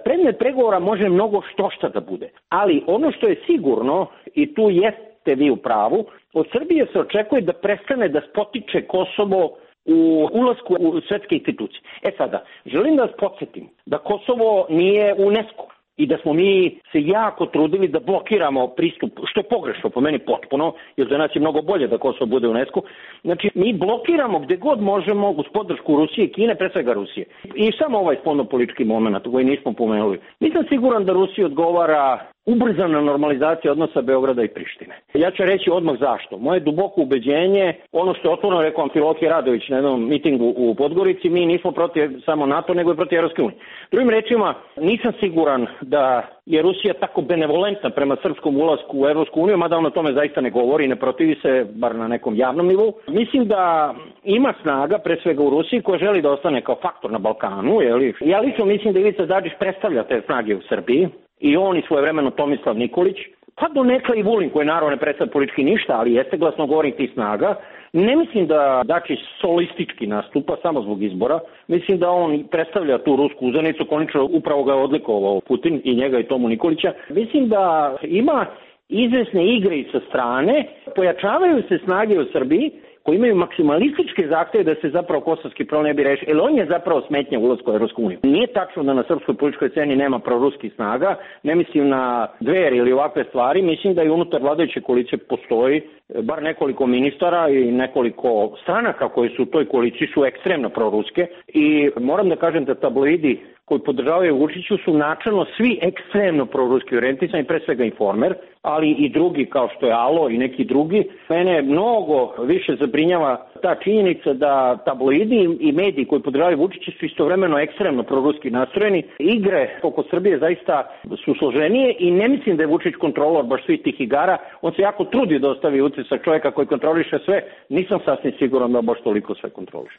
[SPEAKER 10] predmet pregovora može mnogo štošta da bude, ali ono što je sigurno, i tu jeste vi u pravu, od Srbije se očekuje da prestane da spotiče Kosovo u ulasku u svetske institucije. Sada, želim da vas podsjetim da Kosovo nije u UNESCO i da smo mi se jako trudili da blokiramo pristup, što je pogrešno po meni potpuno, jer za nas je mnogo bolje da Kosovo bude u UNESCO. Znači, mi blokiramo gde god možemo uz podršku Rusije i Kine, pre svega Rusije. I samo ovaj spoljnopolitički moment koji nismo pomenuli. Nisam siguran da Rusiji odgovara ubrzana normalizacija odnosa Beograda i Prištine. Ja ću reći odmah zašto. Moje duboko ubeđenje, ono što je otvoreno rekao Amfilohije Radović na jednom mitingu u Podgorici, mi nismo protiv samo NATO, nego i protiv Evropske unije. Drugim rečima, nisam siguran da je Rusija tako benevolentna prema srpskom ulasku u Evropsku uniju, mada on o tome zaista ne govori i ne protivi se, bar na nekom javnom nivou. Mislim da ima snaga, pre svega u Rusiji, koja želi da ostane kao faktor na Balkanu. Ja lično mislim da Ivica Dačić predstavlja te snage u Srbiji. I on i svojevremeno Tomislav Nikolić, pa donekle i Vulin, koji naravno ne predstavlja politički ništa, ali jeste glasnogovornik tih snaga. Ne mislim da Dačić solistički nastupa samo zbog izbora. Mislim da on predstavlja tu rusku uzanicu, konačno upravo ga je odlikovao Putin i njega i Tomu Nikolića. Mislim da ima izvesne igre i sa strane, pojačavaju se snage u Srbiji, koji imaju maksimalističke zahteve da se zapravo kosovski problem ne bi rešio, jer on je zapravo smetnja ulasku u Evropsku uniju. Nije tačno da na srpskoj političkoj sceni nema proruskih snaga, ne mislim na Dveri ili ovakve stvari, mislim da i unutar vladajuće koalicije postoji bar nekoliko ministara i nekoliko stranaka koji su u toj koaliciji su ekstremno proruske i moram da kažem da tabloidi koji podržavaju Vučiću su načelno svi ekstremno proruski orijentisani, pre svega Informer, ali i drugi kao što je Alo i neki drugi. Mene mnogo više zabrinjava ta činjenica da tabloidi i mediji koji podržavaju Vučića su istovremeno ekstremno proruski nastrojeni. Igre oko Srbije zaista su složenije i ne mislim da je Vučić kontrolor baš svih tih igara. On se jako trudi da ostavi utisak čovjeka koji kontroliše sve. Nisam sasvim siguran da baš toliko sve kontroliše.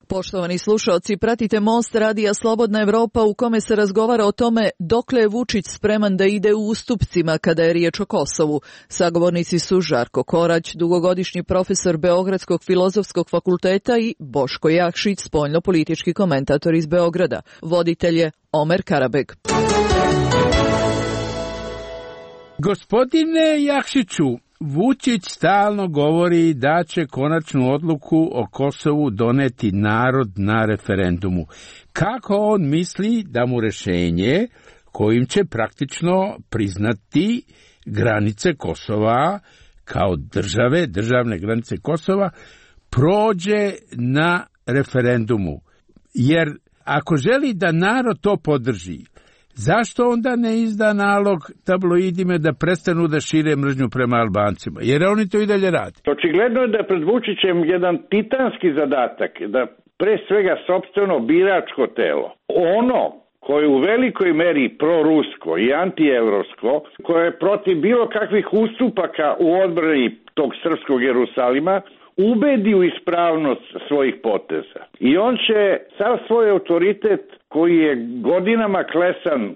[SPEAKER 12] Poštovani slušaoci, pratite Most radija Slobodna Evropa u kome se razgovara o tome dokle je Vučić spreman da ide u ustupcima kada je riječ o Kosovu. Sagovornici su Žarko Korać, dugogodišnji profesor Beogradskog filozofskog fakulteta i Boško Jakšić, spoljno-politički komentator iz Beograda. Voditelj je Omer Karabeg.
[SPEAKER 8] Gospodine Jakšiću, Vučić stalno govori da će konačnu odluku o Kosovu doneti narod na referendumu. Kako on misli da mu rješenje kojim će praktično priznati granice Kosova kao državne granice Kosova, prođe na referendumu? Jer ako želi da narod to podrži, zašto onda ne izda nalog tabloidima da prestanu da šire mržnju prema Albancima? Jer oni to i dalje rade.
[SPEAKER 9] Očigledno je da je pred Vučićem jedan titanski zadatak, da pre svega sopstveno biračko telo, ono koje je u velikoj meri prorusko i antievropsko, koje je protiv bilo kakvih ustupaka u odbrani tog srpskog Jerusalima, ubedi u ispravnost svojih poteza. I on će sav svoj autoritet koji je godinama klesan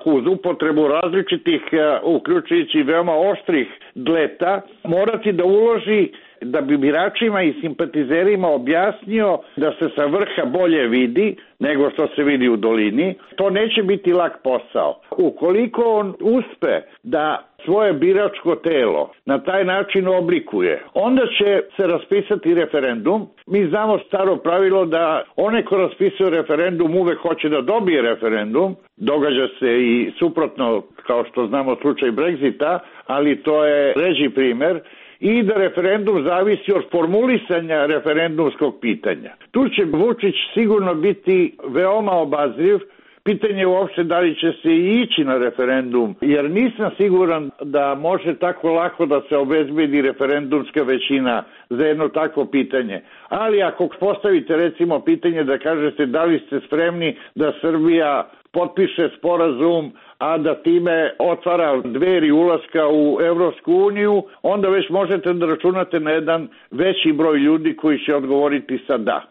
[SPEAKER 9] uz upotrebu različitih, uključujući veoma oštrih dleta, morati da uloži da bi biračima i simpatizerima objasnio da se sa vrha bolje vidi nego što se vidi u dolini. To neće biti lak posao. Ukoliko on uspe da svoje biračko telo na taj način oblikuje, onda će se raspisati referendum. Mi znamo staro pravilo da onaj ko raspisuje referendum uvek hoće da dobije referendum. Događa se i suprotno, kao što znamo slučaj Brexita, ali to je ređi primer. I da referendum zavisi od formulisanja referendumskog pitanja. Tu će Vučić sigurno biti veoma obazriv. Pitanje je uopšte da li će se ići na referendum, jer nisam siguran da može tako lako da se obezbedi referendumska većina za jedno takvo pitanje. Ali ako postavite recimo pitanje da kažete da li ste spremni da Srbija potpiše sporazum, a da time otvara dveri ulaska u Evropsku uniju, onda već možete da računate na jedan veći broj ljudi koji će odgovoriti sa da.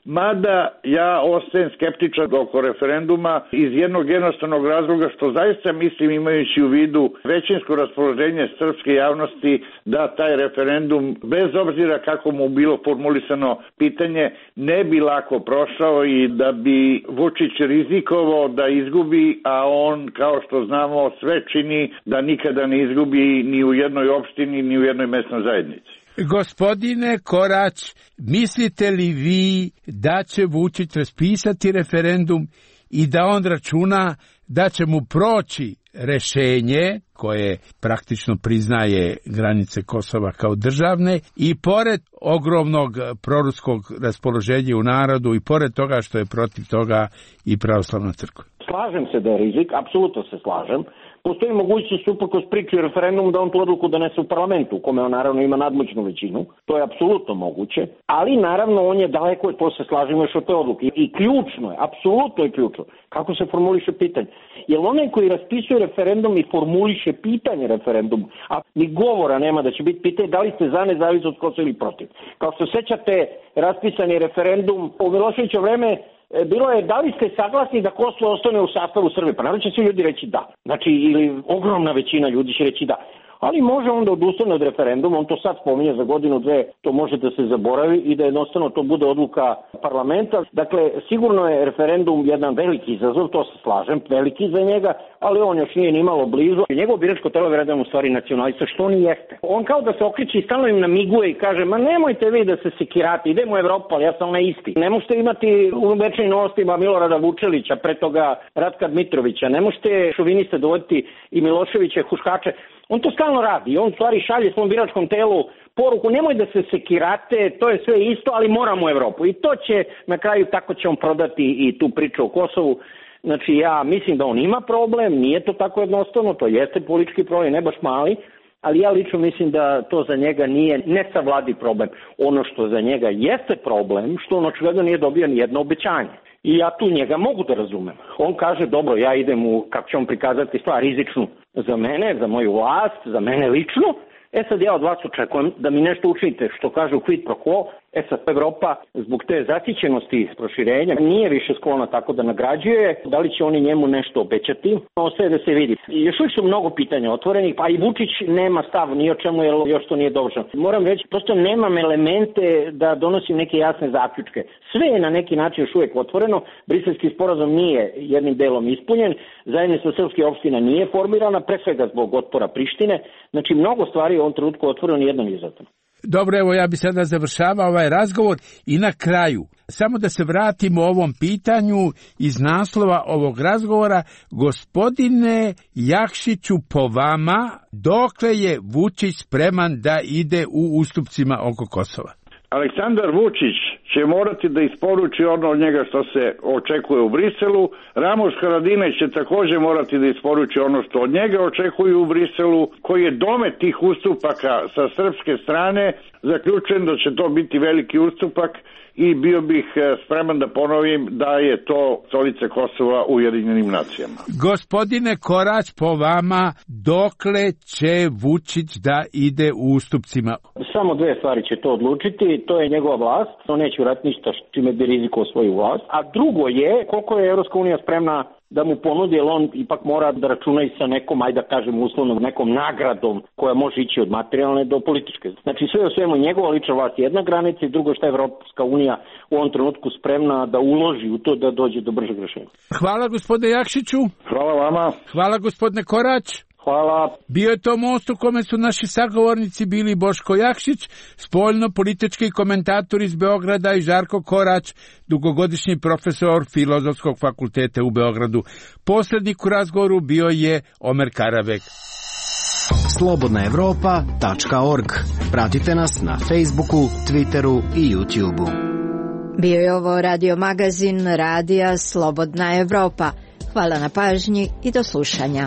[SPEAKER 9] Mada ja ostajem skeptičan oko referenduma iz jednog jednostavnog razloga što zaista mislim, imajući u vidu većinsko raspoloženje srpske javnosti, da taj referendum, bez obzira kako mu bilo formulisano pitanje, ne bi lako prošao i da bi Vučić rizikovao da izgubi, a on, kao što znamo, sve čini da nikada ne izgubi ni u jednoj opštini, ni u jednoj mesnoj zajednici.
[SPEAKER 8] Gospodine Korać, mislite li vi da će Vučić raspisati referendum i da on računa da će mu proći rešenje koje praktično priznaje granice Kosova kao državne i pored ogromnog proruskog raspoloženja u narodu i pored toga što je protiv toga i pravoslavna crkva?
[SPEAKER 10] Slažem se da je rizik, apsolutno se slažem. Postoji mogućnost uprkos priči o referendumu da on tu odluku donese u parlamentu, u kome on naravno ima nadmoćnu većinu. To je apsolutno moguće, ali naravno on je daleko, to se slažemo još od te odluke. I ključno je, apsolutno je ključno, kako se formuliše pitanje. Jer onaj koji raspisuje referendum i formuliše pitanje referendumu, a ni govora nema da će biti pitanje da li ste za nezavisnost Kosova ili protiv. Kao što sećate, raspisani referendum u Miloševićevo vreme bilo je da li ste saglasni da Kosovo ostane u sastavu Srbije. Pa naravno će svi ljudi reći da. Znači, ili ogromna većina ljudi će reći da. Ali može onda odustane od referenduma, on to sad spominje za godinu, dve, to može da se zaboravi i da jednostavno to bude odluka parlamenta. Dakle, sigurno je referendum jedan veliki izazov, to se slažem, veliki za njega, ali on još nije ni malo blizu. Njegovo biračko telo je u stvari nacionalista, što on i jeste. On kao da se okreće i stalno im namiguje i kaže, ma nemojte vi da se sekirate, idemo u Evropu, ali ja sam onaj isti. Ne možete imati u večnim novostima Milorada Vučelića, pre toga Ratka Dmitrovića, ne možete šoviniste dovoditi i Miloševića, huškače. On to stalno radi, on stvari šalje svom biračkom telu poruku, nemoj da se sekirate, to je sve isto, ali moramo u Evropu. I to će, na kraju, tako će on prodati i tu priču o Kosovu. Znači, ja mislim da on ima problem, nije to tako jednostavno, to jeste politički problem, ne baš mali, ali ja lično mislim da to za njega nije nesavladiv problem. Ono što za njega jeste problem, što on očigledno nije dobio ni jedno obećanje. I ja tu njega mogu da razumem. On kaže, dobro, ja idem u, kako će on prikazati stvar, rizičnu za mene, za moju vlast, za mene lično. Sad ja od vas očekujem da mi nešto učinite, što kaže u quid pro quo. Sad Evropa zbog te zasićenosti proširenja nije više sklona tako da nagrađuje. Da li će oni njemu nešto obećati? Ostaje da se vidi. Još uvijek su mnogo pitanja otvorenih, pa i Vučić nema stav ni o čemu, jer još to nije dovršeno. Moram reći, prosto nemam elemente da donosim neke jasne zaključke. Sve je na neki način još uvijek otvoreno. Briselski sporazum nije jednim delom ispunjen. Zajednica srpskih opština nije formirana, pre svega zbog otpora Prištine. Znači, mnogo stvari je u ovom trenutku otvoreno, nijedno nije zatvoreno.
[SPEAKER 8] Dobro, evo ja bi sada završavao ovaj razgovor i na kraju, samo da se vratimo ovom pitanju iz naslova ovog razgovora. Gospodine Jakšiću, po vama, dokle je Vučić spreman da ide u ustupcima oko Kosova?
[SPEAKER 9] Aleksandar Vučić će morati da isporuči ono od njega što se očekuje u Briselu. Ramos Haradinaj će također morati da isporuči ono što od njega očekuju u Briselu, koji je domet tih ustupaka sa srpske strane. Zaključujem da će to biti veliki ustupak i bio bih spreman da ponovim da je to stolica Kosova u Ujedinjenim nacijama.
[SPEAKER 8] Gospodine Korać, po vama, dokle će Vučić da ide u ustupcima?
[SPEAKER 10] Samo dve stvari će to odlučiti, to je njegova vlast, on neće uraditi ništa čime bi rizikovao svoju vlast, a drugo je koliko je Evropska unija spremna da mu ponudi, jer on ipak mora da računa i sa nekom, ajde da kažem uslovno, nekom nagradom koja može ići od materijalne do političke. Znači sve o svemu njegova lična vlast je jedna granica i drugo što je Evropska unija u ovom trenutku spremna da uloži u to da dođe do bržeg rešenja.
[SPEAKER 8] Hvala gospodine Jakšiću.
[SPEAKER 9] Hvala vama.
[SPEAKER 8] Hvala gospodine Korać.
[SPEAKER 10] Hvala.
[SPEAKER 8] Bio je to most u kome su naši sagovornici bili Boško Jakšić, spoljno-politički komentator iz Beograda, i Žarko Korać, dugogodišnji profesor Filozofskog fakulteta u Beogradu. Posrednik u razgovoru bio je Omer Karavek.
[SPEAKER 11] Slobodnaevropa.org. Pratite nas na Facebooku, Twitteru i YouTubeu.
[SPEAKER 7] Bio je ovo radio magazin Radija Slobodna Evropa. Hvala na pažnji i do slušanja.